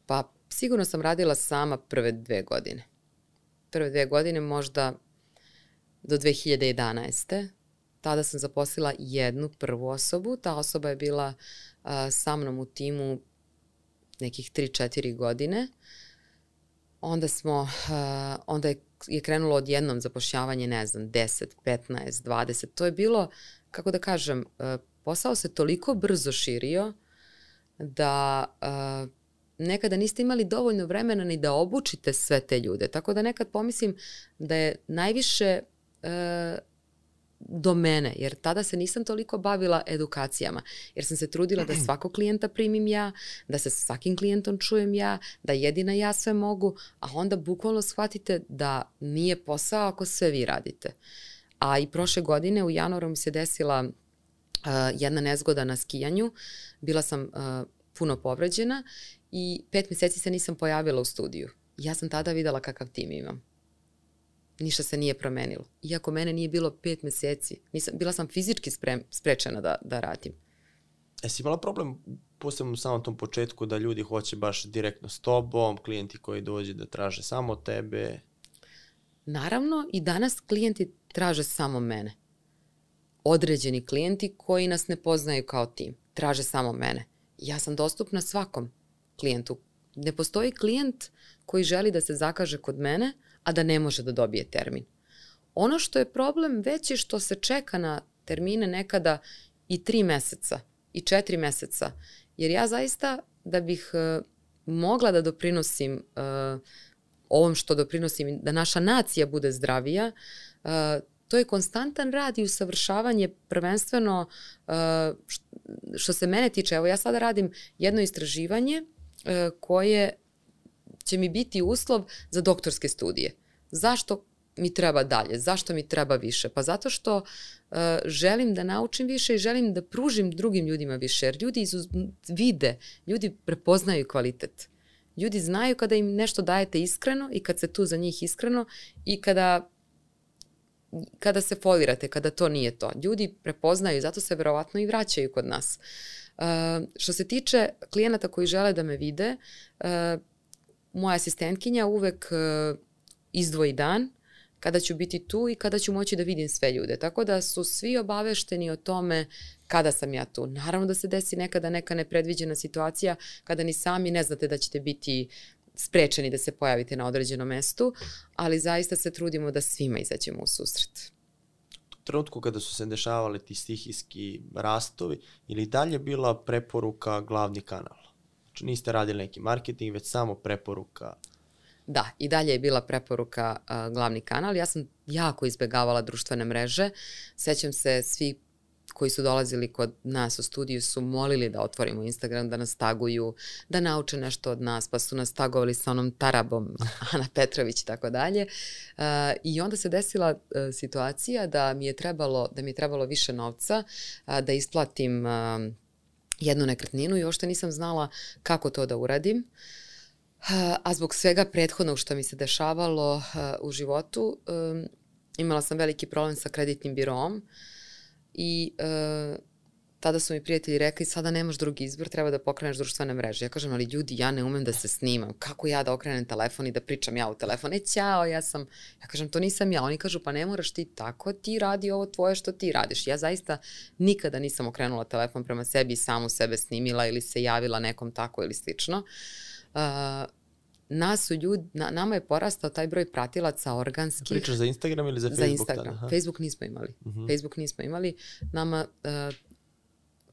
Pa sigurno sam radila sama prve dve godine. Prve dve godine možda do dve hiljade jedanaeste. Tada sam zaposlila jednu prvu osobu. Ta osoba je bila uh, sa mnom u timu nekih tri četiri godine. Onda smo, uh, onda je, je krenulo odjednom zapošljavanje, ne znam, deset, petnaest, dvadeset. To je bilo, kako da kažem, uh, posao se toliko brzo širio da uh, nekada niste imali dovoljno vremena ni da obučite sve te ljude. Tako da nekad pomislim da je najviše uh, do mene, jer tada se nisam toliko bavila edukacijama, jer sam se trudila da svakog klijenta primim ja, da se sa svakim klijentom čujem ja, da jedina ja sve mogu, a onda bukvalno shvatite da nije posao ako sve vi radite. A i prošle godine u januaru mi se desila uh, jedna nezgoda na skijanju, bila sam uh, puno povređena i pet mjeseci se nisam pojavila u studiju. Ja sam tada videla kakav tim imam. Ništa se nije promenilo. Iako mene nije bilo pet mjeseci. Nisam, bila sam fizički sprem, sprečena da, da radim. Jesi imala problem, posebno u samom tom početku, da ljudi hoće baš direktno s tobom, klijenti koji dođe da traže samo tebe? Naravno, i danas klijenti traže samo mene. određeni klijenti koji nas ne poznaju kao tim. Traže samo mene. Ja sam dostupna svakom klijentu. Ne postoji klijent koji želi da se zakaže kod mene, a da ne može da dobije termin. Ono što je problem već je što se čeka na termine nekada i tri meseca i četiri meseca. Jer ja zaista da bih uh, mogla da doprinosim uh, ovom što doprinosim, da naša nacija bude zdravija, uh, to je konstantan rad i usavršavanje prvenstveno uh, što se mene tiče. Evo ja sada radim jedno istraživanje uh, koje će mi biti uslov za doktorske studije. Zašto mi treba dalje? Zašto mi treba više? Pa zato što uh, želim da naučim više i želim da pružim drugim ljudima više. Jer ljudi izuz, vide, ljudi prepoznaju kvalitet. Ljudi znaju kada im nešto dajete iskreno i kad se tu za njih iskreno i kada kada se folirate, kada to nije to. Ljudi prepoznaju, zato se verovatno i vraćaju kod nas. Uh, što se tiče klijenata koji žele da me vide, uh, moja asistentkinja uvek uh, izdvoji dan kada ću biti tu i kada ću moći da vidim sve ljude. Tako da su svi obavešteni o tome kada sam ja tu. Naravno da se desi nekada neka nepredviđena situacija kada ni sami ne znate da ćete biti sprečeni da se pojavite na određenom mestu, ali zaista se trudimo da svima izađemo u susret. U trenutku kada su se dešavali ti stihijski rastovi, ili dalje bila preporuka glavni kanal? Znači niste radili neki marketing, već samo preporuka? Da, i dalje je bila preporuka uh, glavni kanal. Ja sam jako izbegavala društvene mreže. Sećam se, svi koji su dolazili kod nas u studiju su molili da otvorimo Instagram, da nas taguju, da nauče nešto od nas, pa su nas tagovali sa onom tarabom Ana Petrović i tako dalje. Uh, I onda se desila uh, situacija da mi je trebalo, da mi je trebalo više novca, uh, da isplatim uh, jednu nekretninu i uopšte nisam znala kako to da uradim. A zbog svega prethodnog što mi se dešavalo uh, u životu, um, imala sam veliki problem sa kreditnim biroom i uh, tada su mi prijatelji rekli, sada nemaš drugi izbor, treba da pokreneš društvene mreže. Ja kažem, ali ljudi, ja ne umem da se snimam. Kako ja da okrenem telefon i da pričam ja u telefon? E, ćao, ja sam, ja kažem, to nisam ja. Oni kažu, pa ne moraš ti tako, ti radi ovo tvoje što ti radiš. Ja zaista nikada nisam okrenula telefon prema sebi i samu sebe snimila ili se javila nekom tako ili slično. Uh, nas su ljudi, na, nama je porastao taj broj pratilaca organskih. Pričaš za Instagram ili za Facebook? Za Instagram. Tada? Facebook nismo imali. Uh-huh. Facebook nismo imali. Nama uh,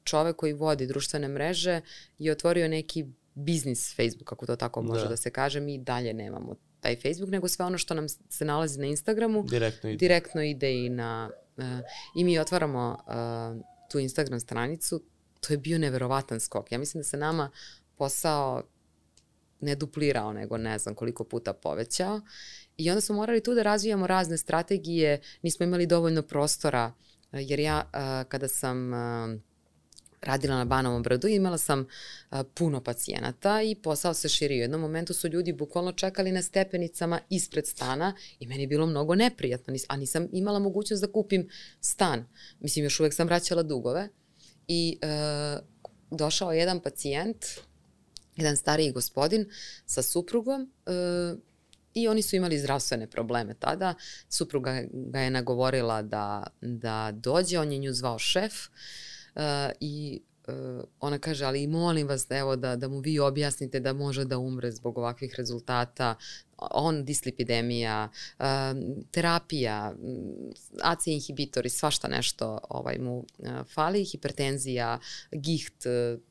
čovek koji vodi društvene mreže je otvorio neki biznis Facebook, kako to tako može da, da se kaže. Mi dalje nemamo taj Facebook, nego sve ono što nam se nalazi na Instagramu direktno ide, direktno ide i na... Uh, I mi otvaramo uh, tu Instagram stranicu. To je bio neverovatan skok. Ja mislim da se nama posao ne duplirao, nego ne znam koliko puta povećao. I onda smo morali tu da razvijamo razne strategije, nismo imali dovoljno prostora, jer ja kada sam radila na Banovom brdu, imala sam puno pacijenata i posao se širio. U jednom momentu su ljudi bukvalno čekali na stepenicama ispred stana i meni je bilo mnogo neprijatno, a nisam imala mogućnost da kupim stan. Mislim, još uvek sam vraćala dugove i uh, došao je jedan pacijent, jedan stariji gospodin sa suprugom uh, i oni su imali zdravstvene probleme tada. Supruga ga je nagovorila da, da dođe, on je nju zvao šef uh, i uh, ona kaže, ali molim vas evo, da, da mu vi objasnite da može da umre zbog ovakvih rezultata. On, dislipidemija, uh, terapija, A C E inhibitori, svašta nešto ovaj, mu uh, fali, hipertenzija, giht. Uh,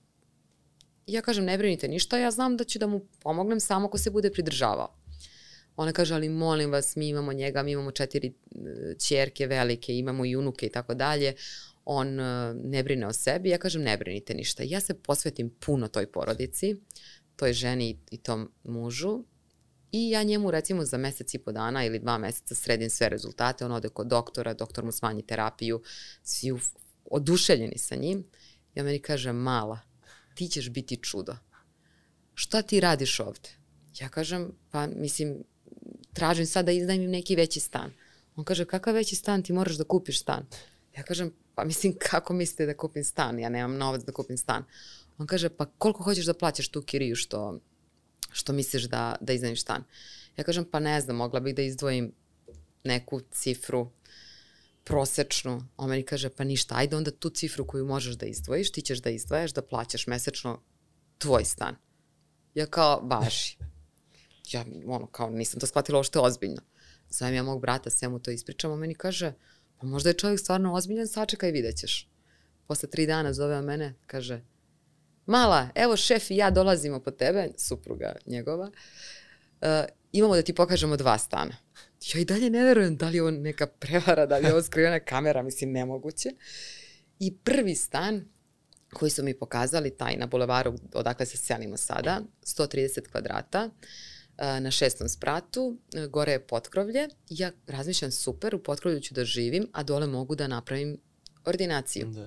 ja kažem, ne brinite ništa, ja znam da ću da mu pomognem samo ako se bude pridržavao. Ona kaže, ali molim vas, mi imamo njega, mi imamo četiri ćerke velike, imamo i unuke i tako dalje. On uh, ne brine o sebi. Ja kažem, ne brinite ništa. Ja se posvetim puno toj porodici, toj ženi i tom mužu. I ja njemu recimo za mesec i po dana ili dva meseca sredim sve rezultate. On ode kod doktora, doktor mu smanji terapiju, svi oduševljeni sa njim. Ja meni kaže, mala, ti ćeš biti čudo. Šta ti radiš ovde? Ja kažem, pa mislim, tražim sad da iznajmim neki veći stan. On kaže, kakav veći stan, ti moraš da kupiš stan. Ja kažem, pa mislim, kako mislite da kupim stan? Ja nemam novac da kupim stan. On kaže, pa koliko hoćeš da plaćaš tu kiriju što, što misliš da, da iznajmiš stan? Ja kažem, pa ne znam, mogla bih da izdvojim neku cifru. prosečnu. On meni kaže, pa ništa, ajde onda tu cifru koju možeš da izdvojiš, ti ćeš da izdvajaš, da plaćaš mesečno tvoj stan. Ja kao, važi. Ja, ono, kao, nisam to shvatila ošte ozbiljno. Zovem ja mog brata, sve mu to ispričam, on meni kaže, pa možda je čovjek stvarno ozbiljan, sačekaj, vidjet ćeš. Posle tri dana zove on mene, kaže, mala, evo šef i ja dolazimo po tebe, supruga njegova, uh, imamo da ti pokažemo dva stana. Ja i dalje ne verujem da li je ovo neka prevara, da li je ovo skrivena kamera, mislim, nemoguće. I prvi stan koji su mi pokazali, taj na bulevaru odakle se selimo sada, sto trideset kvadrata, na šestom spratu, gore je potkrovlje. Ja razmišljam, super, u potkrovlju ću da živim, a dole mogu da napravim ordinaciju. Da.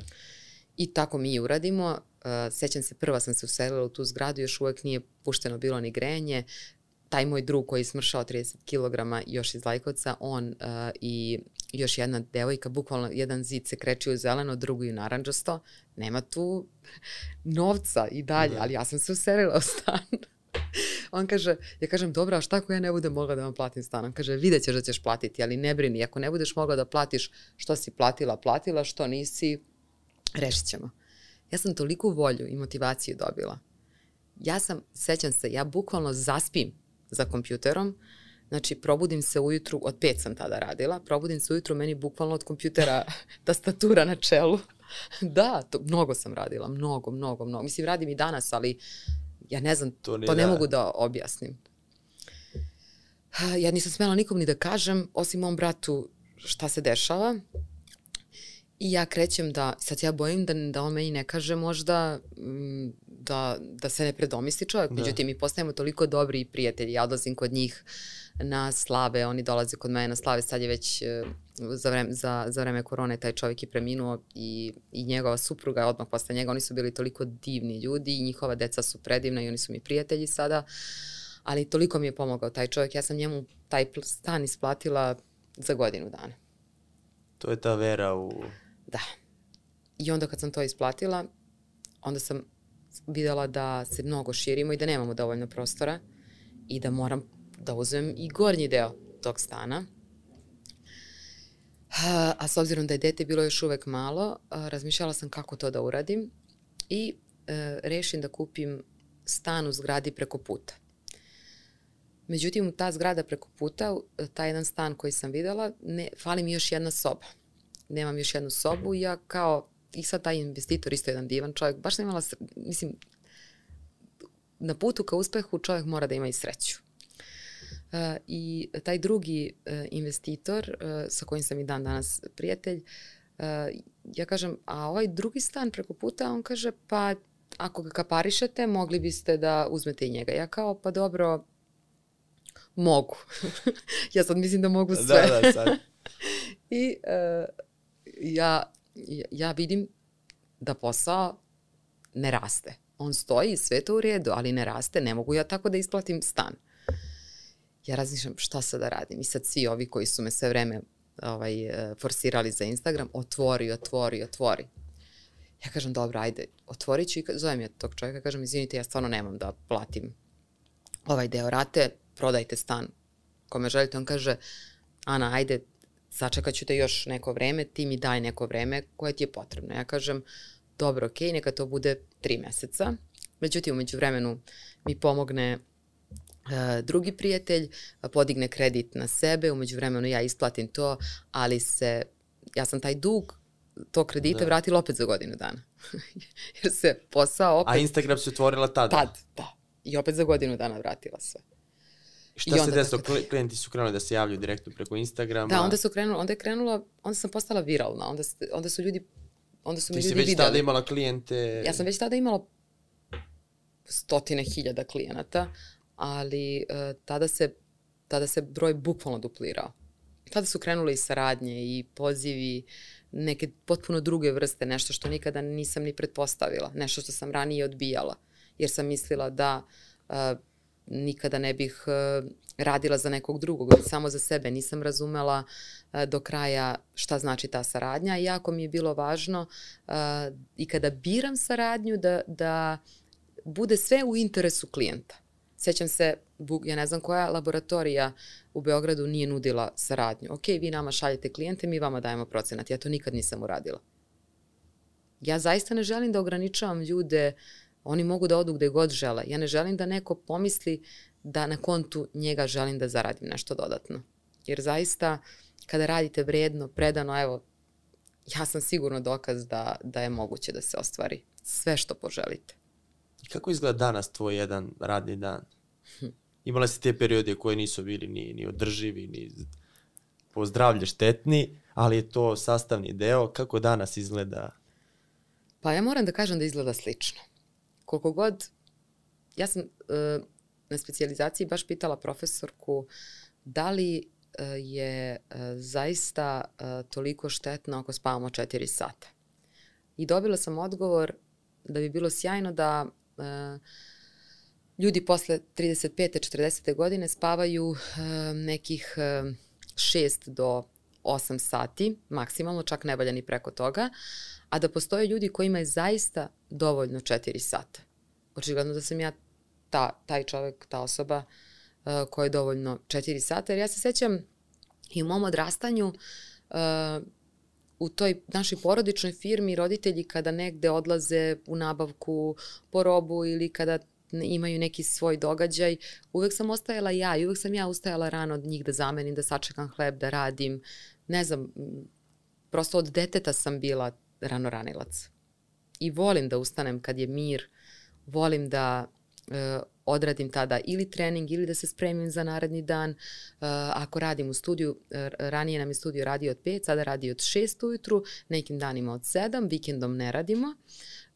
I tako mi i uradimo. Sećam se, prva sam se uselila u tu zgradu, još uvek nije pušteno bilo ni grejanje. Taj moj drug koji je smršao trideset kilograma još iz Lajkovca, on uh, i još jedna devojka, bukvalno jedan zid se kreći u zeleno, drugi u naranđasto. Nema tu novca i dalje, ali ja sam se uselila u stan. On kaže, ja kažem, dobro, a šta ako ja ne budem mogla da vam platim stan? On kaže, vidjet ćeš da ćeš platiti, ali ne brini, ako ne budeš mogla da platiš što si platila, platila, što nisi, rešit ćemo. Ja sam toliku volju i motivaciju dobila. Ja sam, sećam se, ja bukvalno zaspim za kompjuterom, znači probudim se ujutru, od pet sam tada radila, probudim se ujutru, meni bukvalno od kompjutera tastatura na čelu. Da, to, mnogo sam radila, mnogo, mnogo, mnogo. Mislim, radim i danas, ali ja ne znam, to, to ne da. mogu da objasnim. Ja nisam smela nikom ni da kažem, osim mom bratu, šta se dešava. I ja krećem da, sad ja bojim da, da on meni ne kaže možda da, da se ne predomisli čovjek. Da. Međutim, mi postajemo toliko dobri prijatelji. Ja odlazim kod njih na slave, oni dolaze kod mene na slave. Sad je već za vreme, za, za vreme korone taj čovjek je preminuo i, i njegova supruga odmah posle njega. Oni su bili toliko divni ljudi i njihova deca su predivna i oni su mi prijatelji sada. Ali toliko mi je pomogao taj čovjek. Ja sam njemu taj stan isplatila za godinu dana. To je ta vera u... Da. I onda kad sam to isplatila, onda sam videla da se mnogo širimo i da nemamo dovoljno prostora i da moram da uzmem i gornji deo tog stana. A, a s obzirom da je dete bilo još uvek malo, a, razmišljala sam kako to da uradim i a, rešim da kupim stan u zgradi preko puta. Međutim, ta zgrada preko puta, taj jedan stan koji sam videla, ne, fali mi još jedna soba. Nemam još jednu sobu i ja kao, i sad taj investitor, isto jedan divan čovjek, baš sam imala, mislim, na putu ka uspehu čovjek mora da ima i sreću. Uh, I taj drugi uh, investitor, uh, sa kojim sam i dan danas prijatelj, uh, ja kažem, a ovaj drugi stan preko puta, on kaže, pa ako ga kaparišete, mogli biste da uzmete i njega. Ja kao, pa dobro, mogu. Ja sad mislim da mogu sve. Da, da, sad. I uh, ja, ja vidim da posao ne raste. On stoji, sve to u redu, ali ne raste, ne mogu ja tako da isplatim stan. Ja razmišljam šta sad da radim. I sad svi ovi koji su me sve vreme ovaj, forsirali za Instagram, otvori, otvori, otvori. Ja kažem, dobro, ajde, otvorit ću i zovem ja tog čovjeka, kažem, izvinite, ja stvarno nemam da platim ovaj deo rate, prodajte stan kome želite. On kaže, Ana, ajde, sačekat ću te još neko vreme, ti mi daj neko vreme koje ti je potrebno. Ja kažem, dobro, okej, okay, neka to bude tri meseca. Međutim, umeđu vremenu mi pomogne uh, drugi prijatelj, podigne kredit na sebe, umeđu vremenu ja isplatim to, ali se, ja sam taj dug to kredita da. vratila opet za godinu dana. Jer se posao opet... A Instagram se otvorila tada? Tad, da. I opet za godinu dana vratila sve. Šta se desilo? Klijenti su krenuli da se javljaju direktno preko Instagrama? Da, onda su krenuli, onda je krenula, onda sam postala viralna, onda, onda su ljudi, onda su mi ljudi videli. Ti si već tada imala klijente? Ja sam već tada imala stotine hiljada klijenata, ali uh, tada, se, tada se broj bukvalno duplirao. Tada su krenule i saradnje i pozivi, neke potpuno druge vrste, nešto što nikada nisam ni pretpostavila, nešto što sam ranije odbijala, jer sam mislila da uh, nikada ne bih uh, radila za nekog drugog, samo za sebe. Nisam razumela uh, do kraja šta znači ta saradnja. I jako mi je bilo važno uh, i kada biram saradnju da, da bude sve u interesu klijenta. Sećam se, ja ne znam koja laboratorija u Beogradu nije nudila saradnju. Ok, vi nama šaljete klijente, mi vama dajemo procenat. Ja to nikad nisam uradila. Ja zaista ne želim da ograničavam ljude, oni mogu da odu gde god žele. Ja ne želim da neko pomisli da na kontu njega želim da zaradim nešto dodatno. Jer zaista, kada radite vredno, predano, evo, ja sam sigurno dokaz da, da je moguće da se ostvari sve što poželite. Kako izgleda danas tvoj jedan radni dan? Imala si te periode koje nisu bili ni, ni održivi, ni po zdravlje štetni, ali je to sastavni deo. Kako danas izgleda? Pa ja moram da kažem da izgleda slično. Koliko god, ja sam uh, na specijalizaciji baš pitala profesorku da li uh, je uh, zaista uh, toliko štetno ako spavamo četiri sata. I dobila sam odgovor da bi bilo sjajno da uh, ljudi posle trideset pete četrdesete godine spavaju uh, nekih uh, šest do osam sati, maksimalno, čak ne valja ni preko toga, a da postoje ljudi kojima je zaista dovoljno četiri sata. Očigledno da sam ja ta, taj čovek, ta osoba uh, koja je dovoljno četiri sata, jer ja se sećam i u mom odrastanju uh, u toj našoj porodičnoj firmi roditelji kada negde odlaze u nabavku po robu ili kada imaju neki svoj događaj, uvek sam ostajala ja i uvek sam ja ustajala rano od njih da zamenim, da sačekam hleb, da radim. Ne znam, prosto od deteta sam bila ranoranilac. I volim da ustanem kad je mir, volim da e, odradim tada ili trening ili da se spremim za naredni dan. E, ako radim u studiju, e, ranije nam je studio radio od pet, sada radi od šest ujutru, nekim danima od sedam, vikendom ne radimo.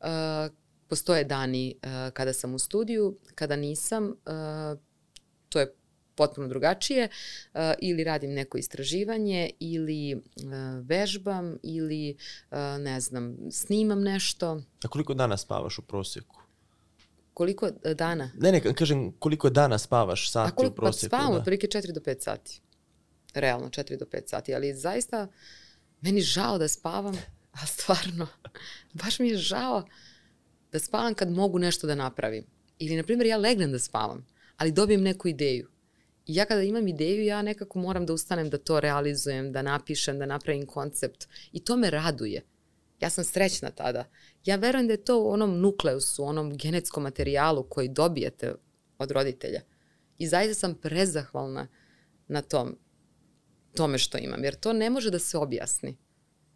E, postoje dani e, kada sam u studiju, kada nisam, e, to je potpuno drugačije, uh, ili radim neko istraživanje, ili uh, vežbam, ili, uh, ne znam, snimam nešto. A koliko dana spavaš u prosjeku? Koliko uh, dana? Ne, ne, kažem koliko dana spavaš sati A koliko, u prosjeku? Pa spavam otprilike četiri do pet sati. Realno četiri do pet sati, ali zaista meni žao da spavam, a stvarno, baš mi je žao da spavam kad mogu nešto da napravim. Ili, na primjer, ja legnem da spavam, ali dobijem neku ideju. I ja kada imam ideju, ja nekako moram da ustanem da to realizujem, da napišem, da napravim koncept. I to me raduje. Ja sam srećna tada. Ja verujem da je to u onom nukleusu, onom genetskom materijalu koji dobijete od roditelja. I zaista sam prezahvalna na tom, tome što imam. Jer to ne može da se objasni.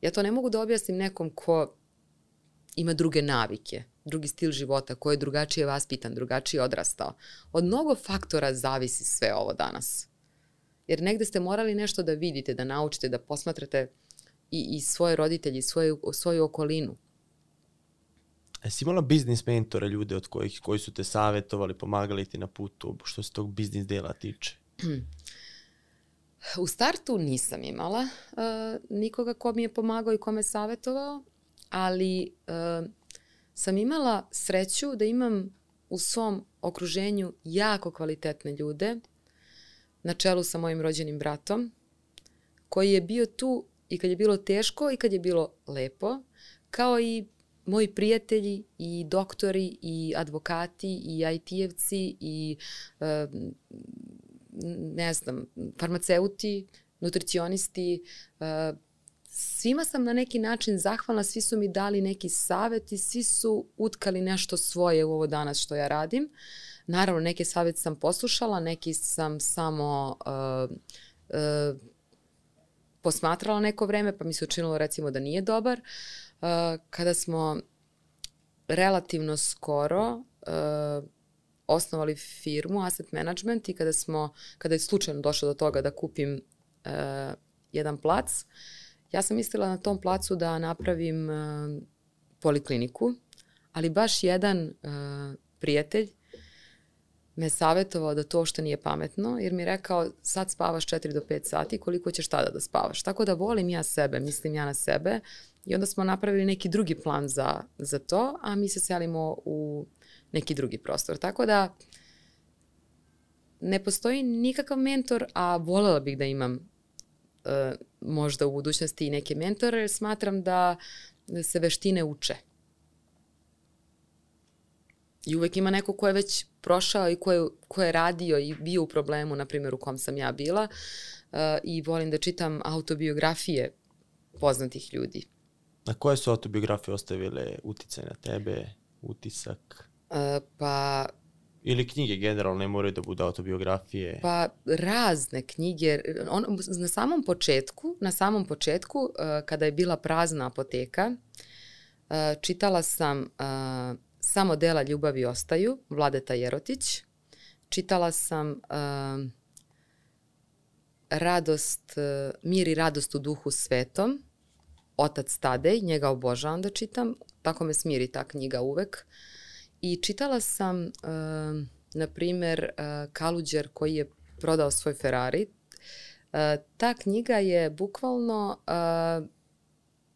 Ja to ne mogu da objasnim nekom ko ima druge navike, drugi stil života, ko je drugačije vaspitan, drugačije odrastao. Od mnogo faktora zavisi sve ovo danas. Jer negde ste morali nešto da vidite, da naučite, da posmatrate i, i svoje roditelje, i svoju, svoju okolinu. Jesi imala biznis mentora, ljude od kojih, koji su te savjetovali, pomagali ti na putu, što se tog biznis dela tiče? U startu nisam imala uh, nikoga ko mi je pomagao i ko me savjetovao, ali uh, sam imala sreću da imam u svom okruženju jako kvalitetne ljude, na čelu sa mojim rođenim bratom, koji je bio tu i kad je bilo teško i kad je bilo lepo, kao i moji prijatelji i doktori i advokati i I T-evci i uh, ne znam, farmaceuti, nutricionisti, uh, svima sam na neki način zahvalna, svi su mi dali neki savjet i svi su utkali nešto svoje u ovo danas što ja radim. Naravno, neke savjete sam poslušala, neki sam samo uh, uh, posmatrala neko vreme, pa mi se učinilo recimo da nije dobar. Uh, kada smo relativno skoro uh, osnovali firmu Asset Management i kada, smo, kada je slučajno došlo do toga da kupim uh, jedan plac, ja sam mislila na tom placu da napravim uh, polikliniku, ali baš jedan uh, prijatelj me savjetovao da to što nije pametno, jer mi je rekao sad spavaš četiri do pet sati, koliko ćeš tada da spavaš. Tako da volim ja sebe, mislim ja na sebe i onda smo napravili neki drugi plan za, za to, a mi se selimo u neki drugi prostor. Tako da ne postoji nikakav mentor, a voljela bih da imam Uh, možda u budućnosti i neke mentore, jer smatram da se veštine uče. I uvek ima neko ko je već prošao i ko je, ko je radio i bio u problemu, na primjer u kom sam ja bila. Uh, I volim da čitam autobiografije poznatih ljudi. Na koje su autobiografije ostavile uticaj na tebe, utisak? Uh, pa... Ili knjige generalno, ne moraju da budu autobiografije? Pa razne knjige. On, na samom početku, na samom početku, uh, kada je bila prazna apoteka, uh, čitala sam uh, Samo dela ljubavi ostaju, Vladeta Jerotić. Čitala sam uh, Radost, uh, Mir i radost u duhu svetom, Otac Tadej, njega obožavam da čitam, tako me smiri ta knjiga uvek. I čitala sam, uh, na primer, uh, Kaluđer koji je prodao svoj Ferrari. Uh, ta knjiga je bukvalno uh,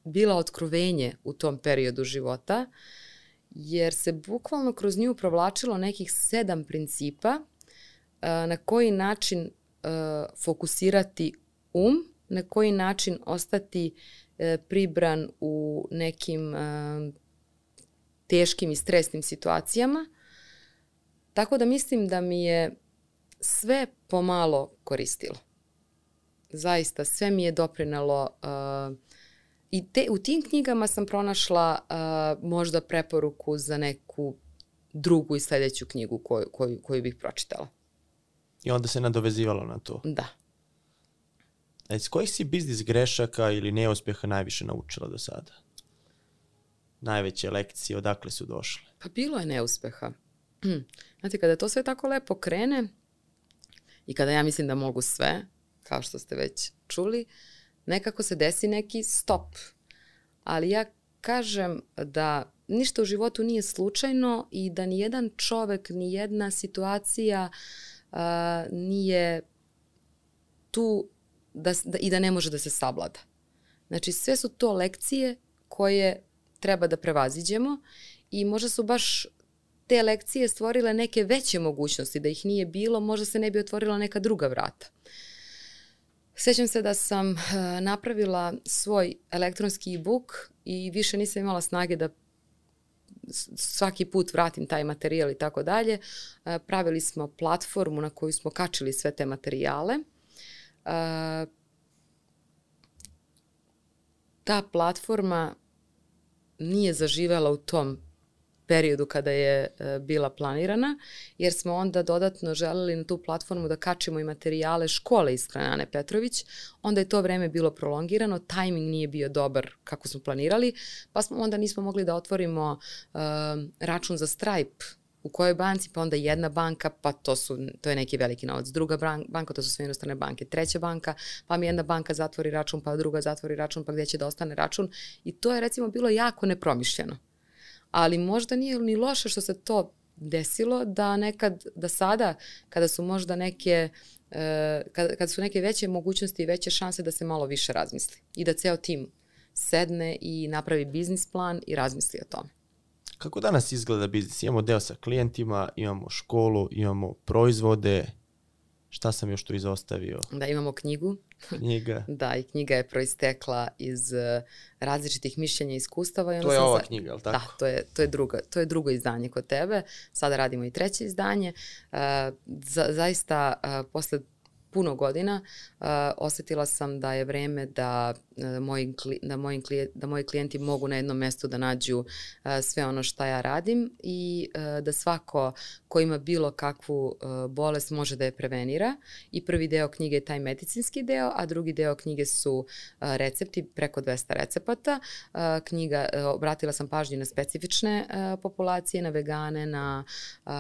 bila otkrovenje u tom periodu života, jer se bukvalno kroz nju provlačilo nekih sedam principa uh, na koji način uh, fokusirati um, na koji način ostati uh, pribran u nekim uh, teškim i stresnim situacijama. Tako da mislim da mi je sve pomalo koristilo. Zaista, sve mi je doprinalo. Uh, I te, u tim knjigama sam pronašla uh, možda preporuku za neku drugu i sljedeću knjigu koju, koju, koju bih pročitala. I onda se nadovezivalo na to? Da. A iz kojih si biznis grešaka ili neuspeha najviše naučila do sada? Najveće lekcije, odakle su došle? Pa bilo je neuspeha. Znate, kada to sve tako lepo krene i kada ja mislim da mogu sve, kao što ste već čuli, nekako se desi neki stop. Ali ja kažem da ništa u životu nije slučajno i da nijedan čovek, nijedna situacija uh, nije tu da, da, i da ne može da se savlada. Znači, sve su to lekcije koje treba da prevaziđemo i možda su baš te lekcije stvorile neke veće mogućnosti. Da ih nije bilo, možda se ne bi otvorila neka druga vrata. Sjećam se da sam uh, napravila svoj elektronski e-book i više nisam imala snage da svaki put vratim taj materijal i tako dalje. Pravili smo platformu na koju smo kačili sve te materijale. Uh, ta platforma nije zaživela u tom periodu kada je e, bila planirana, jer smo onda dodatno želeli na tu platformu da kačimo i materijale škole iz Ane Petrović. Onda je to vreme bilo prolongirano, tajming nije bio dobar kako smo planirali, pa smo onda nismo mogli da otvorimo e, račun za Stripe u kojoj banci, pa onda jedna banka, pa to, su, to je neki veliki novac, druga banka, to su sve inostrane banke, treća banka, pa mi jedna banka zatvori račun, pa druga zatvori račun, pa gdje će da ostane račun. I to je recimo bilo jako nepromišljeno. Ali možda nije ni loše što se to desilo, da nekad, da sada, kada su možda neke, e, kada, kada su neke veće mogućnosti i veće šanse da se malo više razmisli. I da ceo tim sedne i napravi biznis plan i razmisli o tome. Kako danas izgleda biznis? Imamo deo sa klijentima, imamo školu, imamo proizvode. Šta sam još tu izostavio? Da, imamo knjigu. Knjiga. Da, i knjiga je proistekla iz uh, različitih mišljenja i iskustava. I to je ova za... knjiga, je li tako? Da, to je, to je, druga, to je drugo izdanje kod tebe. Sada radimo i treće izdanje. Uh, za, zaista, uh, posle puno godina uh, osetila sam da je vreme da, uh, moji, da, moji klijenti, da moji klijenti mogu na jednom mestu da nađu uh, sve ono što ja radim i uh, da svako ko ima bilo kakvu uh, bolest može da je prevenira. I prvi deo knjige je taj medicinski deo, a drugi deo knjige su uh, recepti, preko dvesta recepata. Uh, knjiga, uh, obratila sam pažnju na specifične uh, populacije, na vegane, na uh,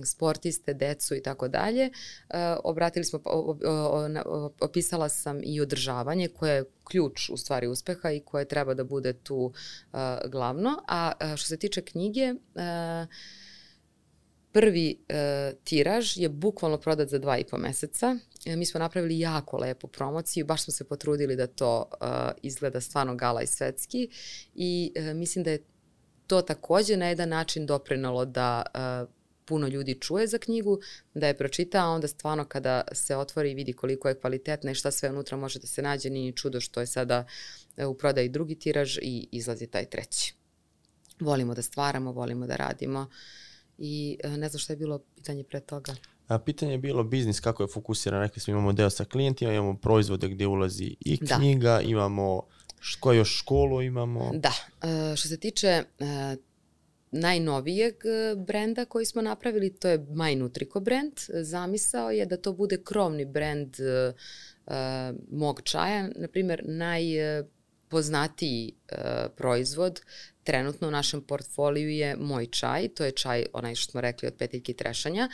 sportiste, decu i tako dalje. Obratili smo opisala sam i održavanje koje je ključ u stvari uspeha i koje treba da bude tu uh, glavno. A uh, što se tiče knjige, uh, prvi uh, tiraž je bukvalno prodat za dva i po meseca. E, mi smo napravili jako lepu promociju, baš smo se potrudili da to uh, izgleda stvarno gala i svetski i uh, mislim da je to takođe na jedan način doprinalo da uh, puno ljudi čuje za knjigu, da je pročita, a onda stvarno kada se otvori i vidi koliko je kvalitetna i šta sve unutra može da se nađe, nije čudo što je sada u prodaji drugi tiraž i izlazi taj treći. Volimo da stvaramo, volimo da radimo I ne znam šta je bilo pitanje pre toga. A pitanje je bilo biznis, kako je fokusiran. Rekli smo imamo deo sa klijentima, imamo proizvode gdje ulazi i knjiga, da. imamo što još školu imamo. Da, što se tiče najnovijeg brenda koji smo napravili, to je My Nutrico brand. Zamisao je da to bude krovni brend uh, mog čaja. Naprimjer, najpoznatiji uh, proizvod trenutno u našem portfoliju je moj čaj. To je čaj, onaj što smo rekli, od petiljke trešanja.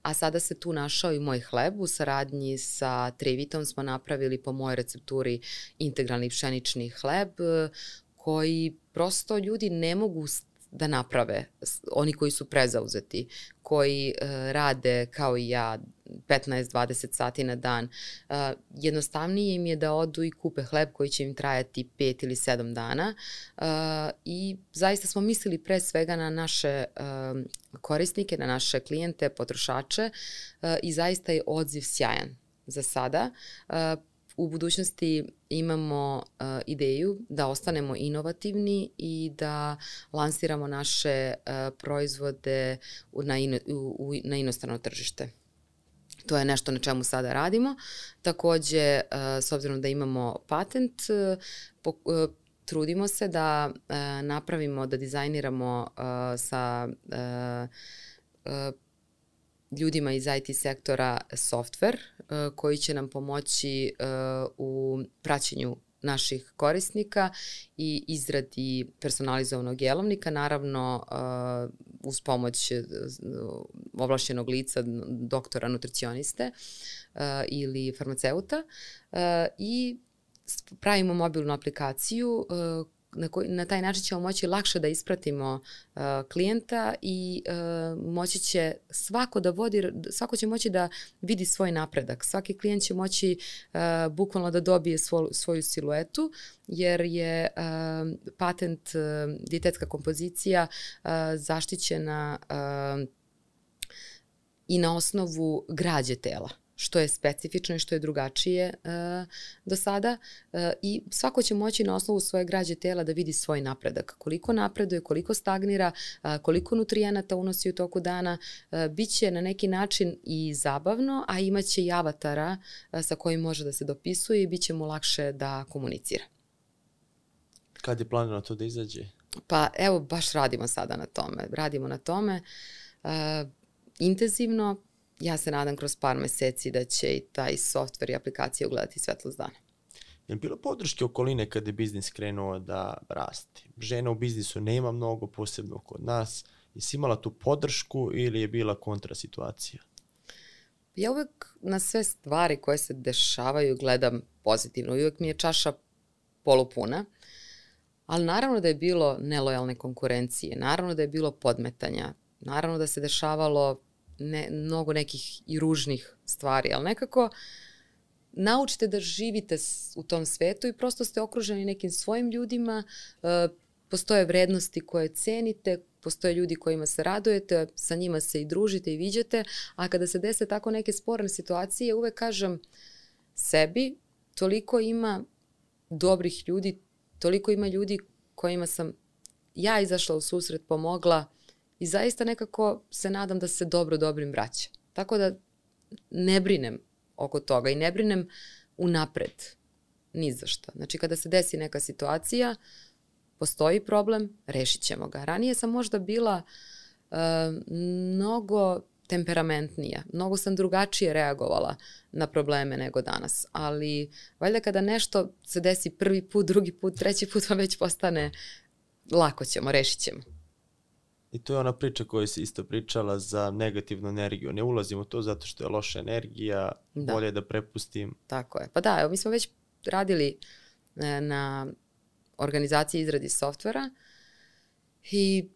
A sada se tu našao i moj hleb. U saradnji sa Trivitom smo napravili po mojoj recepturi integralni pšenični hleb koji prosto ljudi ne mogu da naprave, oni koji su prezauzeti, koji uh, rade kao i ja petnaest dvadeset sati na dan. Uh, jednostavnije im je da odu i kupe hleb koji će im trajati pet ili sedam dana uh, i zaista smo mislili pre svega na naše uh, korisnike, na naše klijente, potrošače uh, i zaista je odziv sjajan za sada. Uh, U budućnosti imamo uh, ideju da ostanemo inovativni i da lansiramo naše uh, proizvode u, na, ino, u, na inostrano tržište. To je nešto na čemu sada radimo. Takođe, uh, s obzirom da imamo patent, uh, po, uh, trudimo se da uh, napravimo, da dizajniramo uh, sa uh, uh, ljudima iz I T sektora software uh, koji će nam pomoći uh, u praćenju naših korisnika i izradi personalizovanog jelovnika, naravno uh, uz pomoć uh, ovlašćenog lica, doktora nutricioniste uh, ili farmaceuta uh, i pravimo mobilnu aplikaciju uh, Na, koji, na taj način ćemo moći lakše da ispratimo uh, klijenta i uh, moći će svako da vodi, svako će moći da vidi svoj napredak. Svaki klijent će moći uh, bukvalno da dobije svo, svoju siluetu, jer je uh, patent uh, dijetetska kompozicija uh, zaštićena uh, i na osnovu građe tela, što je specifično i što je drugačije uh, do sada uh, i svako će moći na osnovu svoje građe tela da vidi svoj napredak. Koliko napreduje, koliko stagnira, uh, koliko nutrijenata unosi u toku dana, uh, bit će na neki način i zabavno, a imaće i avatara uh, sa kojim može da se dopisuje i bit će mu lakše da komunicira. Kad je planirano to da izađe? Pa evo, baš radimo sada na tome. Radimo na tome uh, intenzivno. Ja se nadam kroz par meseci da će i taj softver i aplikacija ugledati svetlost dana. Je li bilo podrške okoline kada je biznis krenuo da rasti? Žena u biznisu nema mnogo, posebno kod nas. Jesi imala tu podršku ili je bila kontra situacija? Ja uvek na sve stvari koje se dešavaju gledam pozitivno. Uvek mi je čaša polupuna. Ali naravno da je bilo nelojalne konkurencije. Naravno da je bilo podmetanja. Naravno da se dešavalo Ne, mnogo nekih i ružnih stvari, ali nekako naučite da živite u tom svetu i prosto ste okruženi nekim svojim ljudima, e, postoje vrednosti koje cenite, postoje ljudi kojima se radujete, sa njima se i družite i viđate, a kada se dese tako neke sporne situacije, uvek kažem sebi, toliko ima dobrih ljudi, toliko ima ljudi kojima sam ja izašla u susret, pomogla, i zaista nekako se nadam da se dobro dobrim vraća. Tako da ne brinem oko toga i ne brinem unapred. Ni za šta. Znači kada se desi neka situacija, postoji problem, rešit ćemo ga. Ranije sam možda bila uh, mnogo temperamentnija. Mnogo sam drugačije reagovala na probleme nego danas. Ali valjda kada nešto se desi prvi put, drugi put, treći put, vam već postane lako ćemo, rešit ćemo. I to je ona priča koju si isto pričala za negativnu energiju. Ne ulazim u to zato što je loša energija, da. Bolje da prepustim. Tako je. Pa da, evo, mi smo već radili na organizaciji izradi softvera i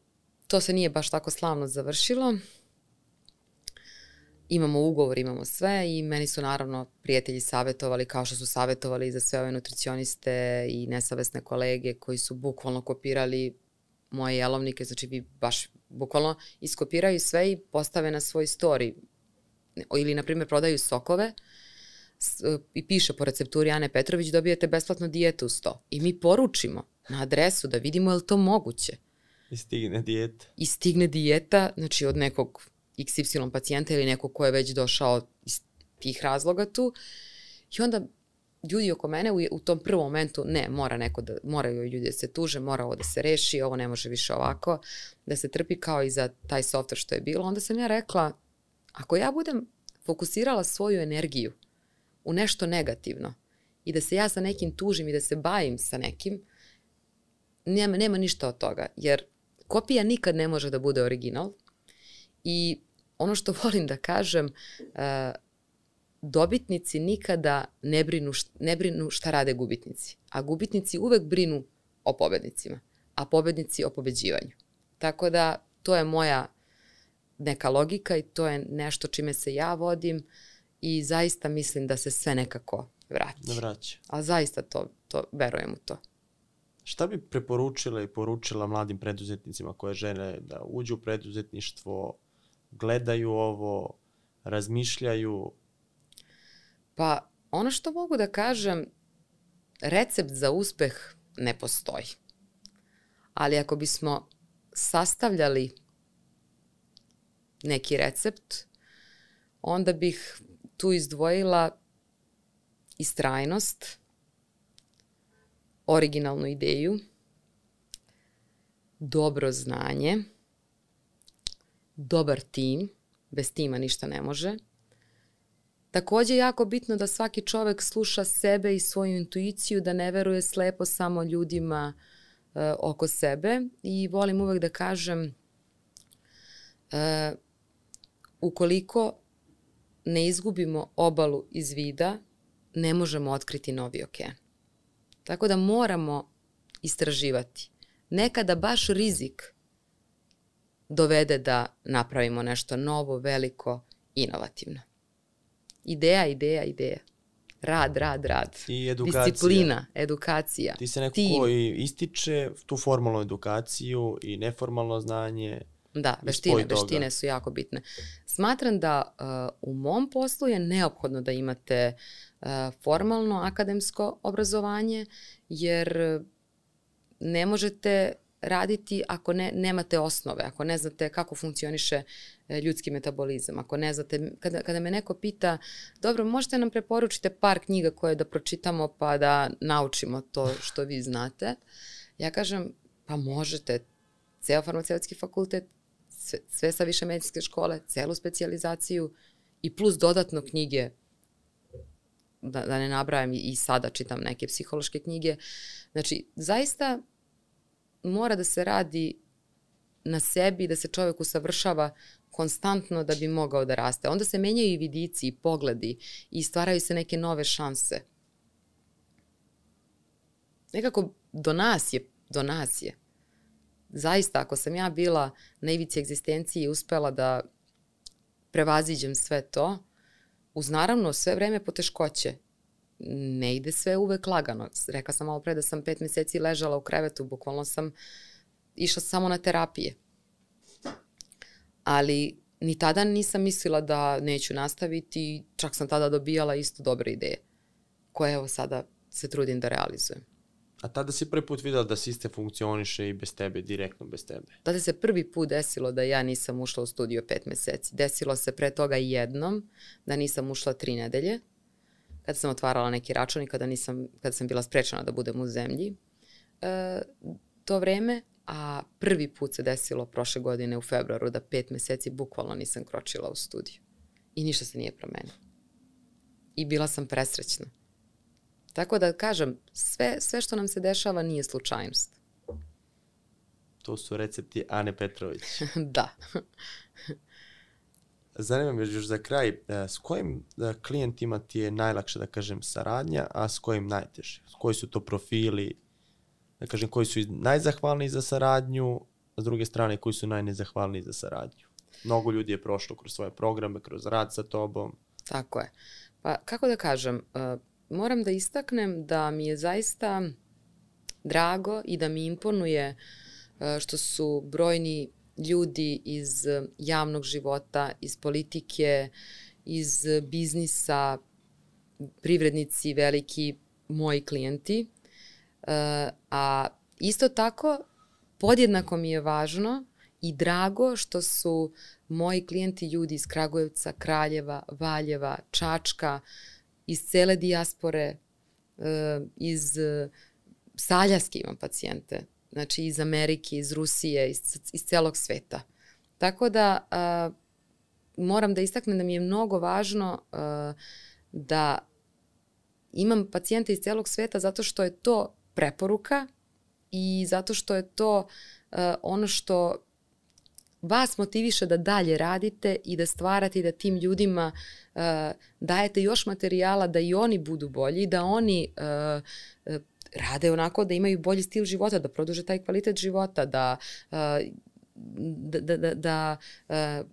to se nije baš tako slavno završilo. Imamo ugovor, imamo sve i meni su naravno prijatelji savjetovali, kao što su savjetovali za sve ove nutricioniste i nesavesne kolege koji su bukvalno kopirali moje jelovnike, znači vi baš bukvalno iskopiraju sve i postave na svoj story. Ili, na primjer, prodaju sokove i piše po recepturi Ane Petrović, dobijete besplatnu dijetu uz to. I mi poručimo na adresu da vidimo je li to moguće. I stigne dijeta. I stigne dijeta, znači od nekog iks ipsilon pacijenta ili nekog ko je već došao iz tih razloga tu. I onda ljudi oko mene u, u tom prvom momentu, ne, mora neko da, moraju ljudi da se tuže, mora ovo da se reši, ovo ne može više ovako, da se trpi kao i za taj software što je bilo. Onda sam ja rekla, ako ja budem fokusirala svoju energiju u nešto negativno i da se ja sa nekim tužim i da se bavim sa nekim, nema, nema ništa od toga, jer kopija nikad ne može da bude original i ono što volim da kažem, uh, dobitnici nikada ne brinu, ne brinu šta rade gubitnici, a gubitnici uvek brinu o pobednicima, a pobednici o pobeđivanju. Tako da to je moja neka logika i to je nešto čime se ja vodim i zaista mislim da se sve nekako vrati. Ne vraća. A zaista to, to verujem u to. Šta bi preporučila i poručila mladim preduzetnicima koje žele da uđu u preduzetništvo, gledaju ovo, razmišljaju? Pa ono što mogu da kažem, recept za uspeh ne postoji. Ali ako bismo sastavljali neki recept, onda bih tu izdvojila istrajnost, originalnu ideju, dobro znanje, dobar tim, bez tima ništa ne može. Takođe je jako bitno da svaki čovek sluša sebe i svoju intuiciju, da ne veruje slepo samo ljudima e, oko sebe i volim uvek da kažem e, ukoliko ne izgubimo obalu iz vida, ne možemo otkriti novi okean. Tako da moramo istraživati. Nekada baš rizik dovede da napravimo nešto novo, veliko, inovativno. Ideja, ideja, ideja. Rad, rad, rad. I edukacija. Disciplina, edukacija. Ti se neko tim. koji ističe tu formalnu edukaciju i neformalno znanje. Da, veštine, veštine su jako bitne. Smatram da uh, u mom poslu je neophodno da imate uh, formalno akademsko obrazovanje, jer ne možete raditi ako ne, nemate osnove, ako ne znate kako funkcioniše ljudski metabolizam, ako ne znate, kada, kada me neko pita, dobro, možete nam preporučite par knjiga koje da pročitamo pa da naučimo to što vi znate, ja kažem, pa možete, ceo farmaceutski fakultet, sve, sve sa više medicinske škole, celu specijalizaciju i plus dodatno knjige, da, da ne nabrajam i, i sada čitam neke psihološke knjige. Znači, zaista mora da se radi na sebi, da se čovjek usavršava konstantno da bi mogao da raste. Onda se menjaju i vidici i pogledi i stvaraju se neke nove šanse. Nekako do nas je, do nas je. Zaista, ako sam ja bila na ivici egzistencije i uspela da prevaziđem sve to, uz naravno sve vreme poteškoće, ne ide sve uvek lagano. Rekla sam malo pre da sam pet meseci ležala u krevetu, bukvalno sam išla samo na terapije. Ali ni tada nisam mislila da neću nastaviti, čak sam tada dobijala isto dobre ideje, koje evo sada se trudim da realizujem. A tada si prvi put videla da sistem funkcioniše i bez tebe, direktno bez tebe? Tada se prvi put desilo da ja nisam ušla u studio pet meseci. Desilo se pre toga jednom da nisam ušla tri nedelje, kada sam otvarala neki račun i kada, nisam, kada sam bila sprečena da budem u zemlji e, to vreme, a prvi put se desilo prošle godine u februaru da pet meseci bukvalno nisam kročila u studiju. I ništa se nije promenilo. I bila sam presrećna. Tako da kažem, sve, sve što nam se dešava nije slučajnost. To su recepti Ane Petrović. Da. Zanima me još za kraj, s kojim klijentima ti je najlakše, da kažem, saradnja, a s kojim najteže? Koji su to profili, da kažem, koji su najzahvalniji za saradnju, a s druge strane, koji su najnezahvalniji za saradnju? Mnogo ljudi je prošlo kroz svoje programe, kroz rad sa tobom. Tako je. Pa kako da kažem, uh, moram da istaknem da mi je zaista drago i da mi imponuje uh, što su brojni ljudi iz javnog života, iz politike, iz biznisa, privrednici, veliki moji klijenti. Uh, a isto tako podjednako mi je važno i drago što su moji klijenti ljudi iz Kragujevca, Kraljeva, Valjeva, Čačka, iz cele dijaspore, iz Saljaske imam pacijente, znači iz Amerike, iz Rusije, iz, iz celog sveta. Tako da a, moram da istaknem da mi je mnogo važno a, da imam pacijente iz celog sveta zato što je to preporuka i zato što je to a, ono što vas motiviše da dalje radite i da stvarate i da tim ljudima uh, dajete još materijala da i oni budu bolji, da oni uh, uh, rade onako da imaju bolji stil života, da produže taj kvalitet života, da, uh, da, da, da, da uh,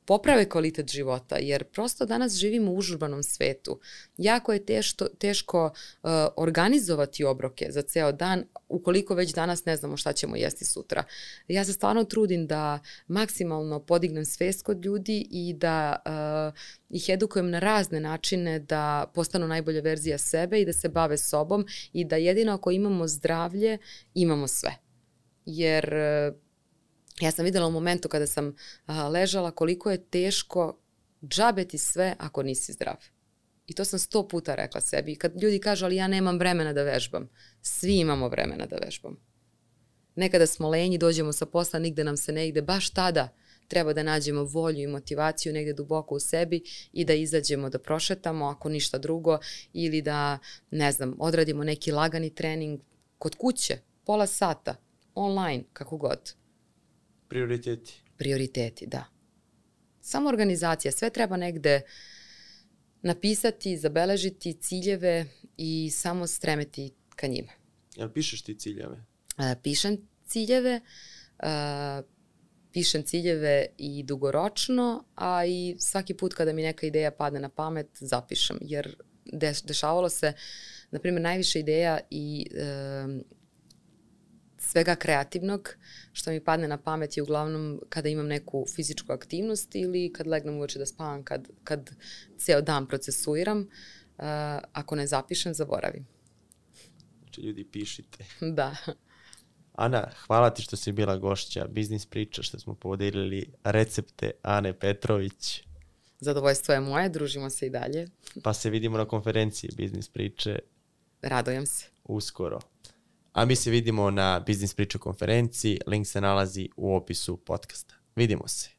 poprave kvalitet života, jer prosto danas živimo u užurbanom svetu. Jako je teško, teško uh, organizovati obroke za ceo dan, ukoliko već danas ne znamo šta ćemo jesti sutra. Ja se stvarno trudim da maksimalno podignem svest kod ljudi i da uh, ih edukujem na razne načine da postanu najbolja verzija sebe i da se bave sobom i da jedino ako imamo zdravlje, imamo sve. Jer uh, ja sam videla u momentu kada sam a, ležala koliko je teško džabeti sve ako nisi zdrav. I to sam sto puta rekla sebi. I kad ljudi kažu, ali ja nemam vremena da vežbam. Svi imamo vremena da vežbam. Nekada smo lenji, dođemo sa posla, nigde nam se ne ide. Baš tada treba da nađemo volju i motivaciju negde duboko u sebi i da izađemo, da prošetamo, ako ništa drugo, ili da, ne znam, odradimo neki lagani trening kod kuće, pola sata, online, kako god. Prioriteti. Prioriteti, da. Samo organizacija, sve treba negde napisati, zabeležiti ciljeve i samo stremeti ka njima. Jel pišeš ti ciljeve? E, pišem ciljeve, e, pišem ciljeve i dugoročno, a i svaki put kada mi neka ideja padne na pamet, zapišem, jer deš, dešavalo se, na primjer, najviše ideja i e, svega kreativnog što mi padne na pamet je uglavnom kada imam neku fizičku aktivnost ili kad legnem uveče da spavam, kad, kad ceo dan procesuiram. Uh, ako ne zapišem, zaboravim. Znači, ljudi, pišite. Da. Ana, hvala ti što si bila gošća Biznis priča, što smo podelili recepte Ane Petrović. Zadovoljstvo je moje, družimo se i dalje. Pa se vidimo na konferenciji Biznis priče. Radujem se. Uskoro. A mi se vidimo na Biznis priča konferenciji, link se nalazi u opisu podcasta. Vidimo se.